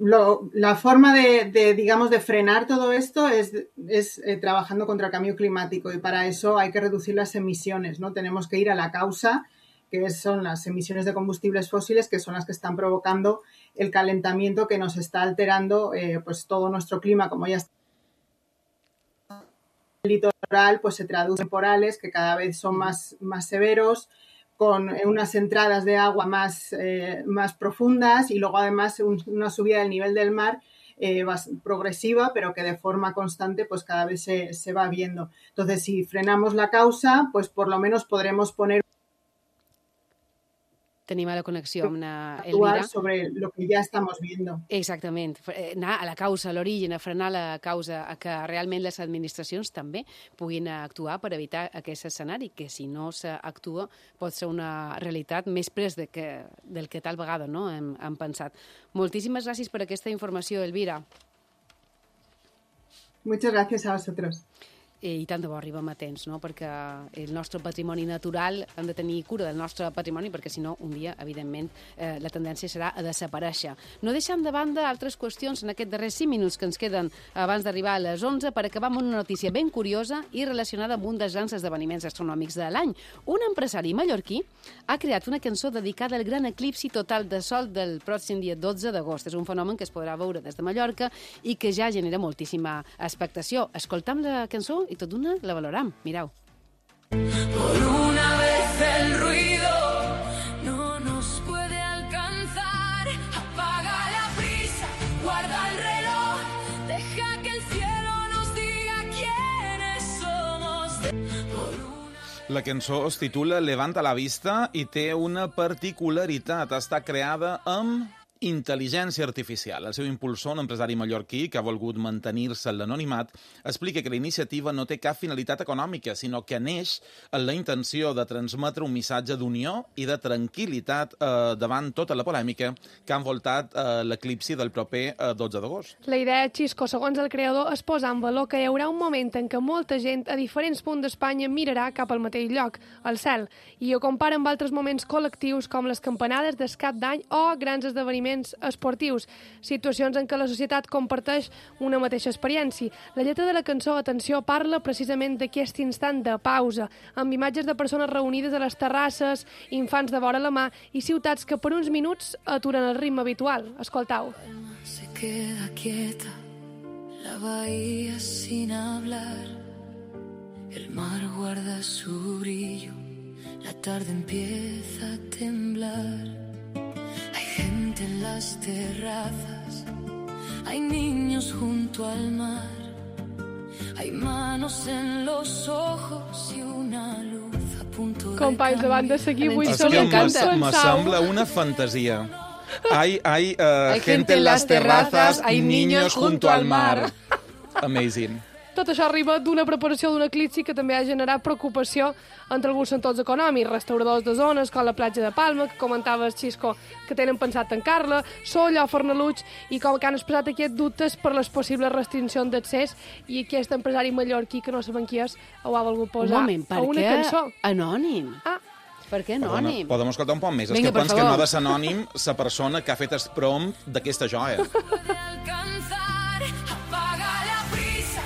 Speaker 19: La forma digamos, de frenar todo esto es trabajando contra el cambio climático, y para eso hay que reducir las emisiones, ¿no? Tenemos que ir a la causa, que son las emisiones de combustibles fósiles, que son las que están provocando el calentamiento que nos está alterando pues todo nuestro clima. Como ya está el litoral, pues se traduce en temporales que cada vez son más severos, con unas entradas de agua más profundas, y luego además una subida del nivel del mar progresiva, pero que de forma constante pues cada vez se va viendo. Entonces, si frenamos la causa, pues por lo menos podremos poner
Speaker 2: Tenim a la connexió amb Elvira.
Speaker 19: Sobre lo que ja estem viendo.
Speaker 2: Exactament. Anar a la causa, a l'origen, a frenar la causa, a que realment les administracions també puguin actuar per evitar aquest escenari, que si no s'actua pot ser una realitat més pres del que tal vegada no hem pensat. Moltíssimes gràcies per aquesta informació, Elvira.
Speaker 19: Muchas gracias a vosotros.
Speaker 2: I tant de bo arribem a temps, no? Perquè el nostre patrimoni natural, hem de tenir cura del nostre patrimoni, perquè si no, un dia, evidentment, la tendència serà a desaparèixer. No deixem de banda altres qüestions en aquests darrers 5 minuts que ens queden abans d'arribar a les 11 per acabar amb una notícia ben curiosa i relacionada amb un dels grans esdeveniments astronòmics de l'any. Un empresari mallorquí ha creat una cançó dedicada al gran eclipsi total de sol del pròxim dia 12 d'agost. És un fenomen que es podrà veure des de Mallorca i que ja genera moltíssima expectació. Escoltam la cançó i tot d'una la valorem. Mireu.
Speaker 20: Por una vez el ruido no nos puede alcanzar. Apaga la prisa, guarda el reloj, deja que el cielo nos diga quiénes somos.
Speaker 3: La cançó es titula Levanta la vista i té una particularitat. Està creada amb intel·ligència artificial. El seu impulsor, un empresari mallorquí que ha volgut mantenir-se en l'anonimat, explica que la iniciativa no té cap finalitat econòmica, sinó que neix en la intenció de transmetre un missatge d'unió i de tranquil·litat davant tota la polèmica que ha envoltat l'eclipsi del proper 12 d'agost.
Speaker 18: La idea, Xisco, segons el creador, és posar en valor que hi haurà un moment en què molta gent a diferents punts d'Espanya mirarà cap al mateix lloc, al cel, i ho compara amb altres moments col·lectius com les campanades d'escap d'any o grans esdeveniments esportius, situacions en què la societat comparteix una mateixa experiència. La lletra de la cançó, atenció, parla precisament d'aquest instant de pausa, amb imatges de persones reunides a les terrasses, infants de vora la mà i ciutats que per uns minuts aturen el ritme habitual. Escoltau.
Speaker 20: Se queda quieta, la bahía sin hablar, el mar guarda su brillo, la tarde empieza a temblar. Gente en las terrazas, hay niños junto al mar, hay manos en los ojos y una luz a punto de
Speaker 18: Companys, davant de seguir avui
Speaker 3: És
Speaker 18: som
Speaker 3: que
Speaker 18: encanta.
Speaker 3: me sembla una fantasia. Hay gente en las terrazas, hay niños junto al mar. Amazing.
Speaker 18: Tot això arriba d'una preparació d'un eclipsi que també ha generat preocupació entre alguns sectors econòmics, restauradors de zones com la platja de Palma, que comentaves, Xisco, que tenen pensat tancar-la, Solla o Fornaluig, i com que han expressat aquests dubtes per les possibles restriccions d'accés, i aquest empresari mallorquí, que no sabem qui és, ho ha volgut posar a una cançó.
Speaker 2: Anònim?
Speaker 18: Ah,
Speaker 2: per què anònim?
Speaker 3: Podem escoltar un poc més.
Speaker 2: Vinga,
Speaker 3: És que pens que no ha de ser anònim la persona que ha fet el prompt d'aquesta joia.
Speaker 20: alcanzar. Apaga la prisa,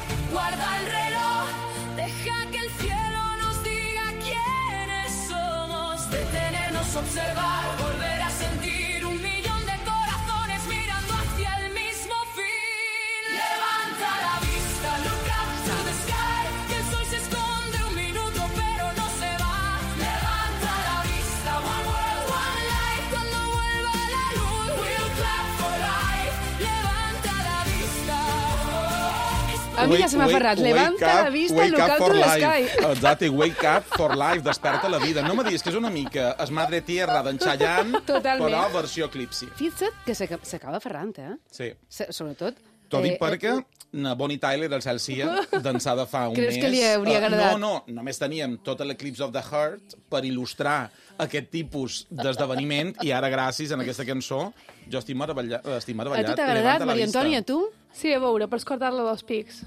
Speaker 20: observar, volver a sentir 1 millón de corazones mirando hacia el mismo fin. Levanta la vista, look up to the sky, que el sol se esconde 1 minuto pero no se va. Levanta la vista, one world, one life, cuando vuelva la luz, we'll clap for life. Levanta la vista.
Speaker 2: A mi ja se m'ha ferrat. Levanta la vista, look up to the sky.
Speaker 3: Exacte, wake up for life, desperta la vida. No me diguis que és una mica Es Madre Tierra d'en Chayanne, però versió Eclipsi.
Speaker 2: Fixa't que s'acaba ferrant,
Speaker 3: Sí.
Speaker 2: Sobretot...
Speaker 3: T'ho dic perquè Bonnie Tyler, el cel sia, d'ençà de fa un mes...
Speaker 2: Creus que li hauria agradat?
Speaker 3: No, només teníem tot l'Eclipse of the Heart per il·lustrar aquest tipus d'esdeveniment i ara, gràcies a aquesta cançó, jo estic meravellat.
Speaker 2: A tu t'ha agradat, Maria Antònia, tu?
Speaker 18: Sí, a veure, per escoltar-la dels pics.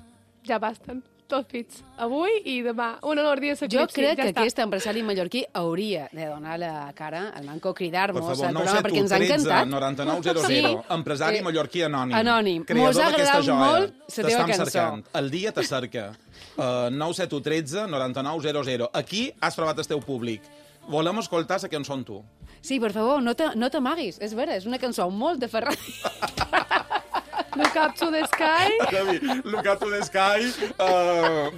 Speaker 18: Ja basten. 2 pits. Avui i demà. Un honor dia s'eclipsi.
Speaker 2: Jo crec que aquest empresari mallorquí hauria de donar la cara al Manco, cridar-nos al programa, perquè ens ha encantat.
Speaker 3: 9900,
Speaker 2: Sí.
Speaker 3: empresari mallorquí anònim.
Speaker 2: Anònim.
Speaker 3: Creador
Speaker 2: Mos ha
Speaker 3: d'aquesta
Speaker 2: agradat
Speaker 3: joia.
Speaker 2: molt la teva cançó.
Speaker 3: Cercant. El dia te cerca. 97113 9900. Aquí has trobat el teu públic. Volem escoltar la cançó amb tu.
Speaker 2: Sí, per favor, no t'amaguis. És vera, és una cançó molt de Ferrari.
Speaker 18: Look up to the sky.
Speaker 3: Look up to the sky.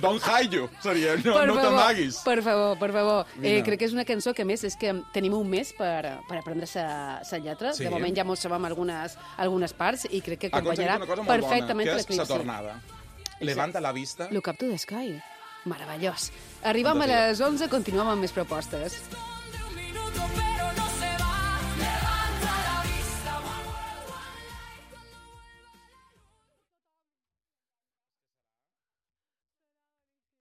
Speaker 3: Don't hide you, seria. No t'amaguis.
Speaker 2: Per favor.
Speaker 3: Mira.
Speaker 2: Crec que és una cançó que, a més, és que tenim un mes per aprendre la lletra.
Speaker 3: Sí.
Speaker 2: De moment ja mos sabem algunes parts i crec que acompanyarà
Speaker 3: bona,
Speaker 2: perfectament
Speaker 3: que és
Speaker 2: l'eclipsi.
Speaker 3: la tornada. Levanta la vista.
Speaker 2: Look up to the sky. Meravellós. Arribem a les 11, continuem amb més propostes.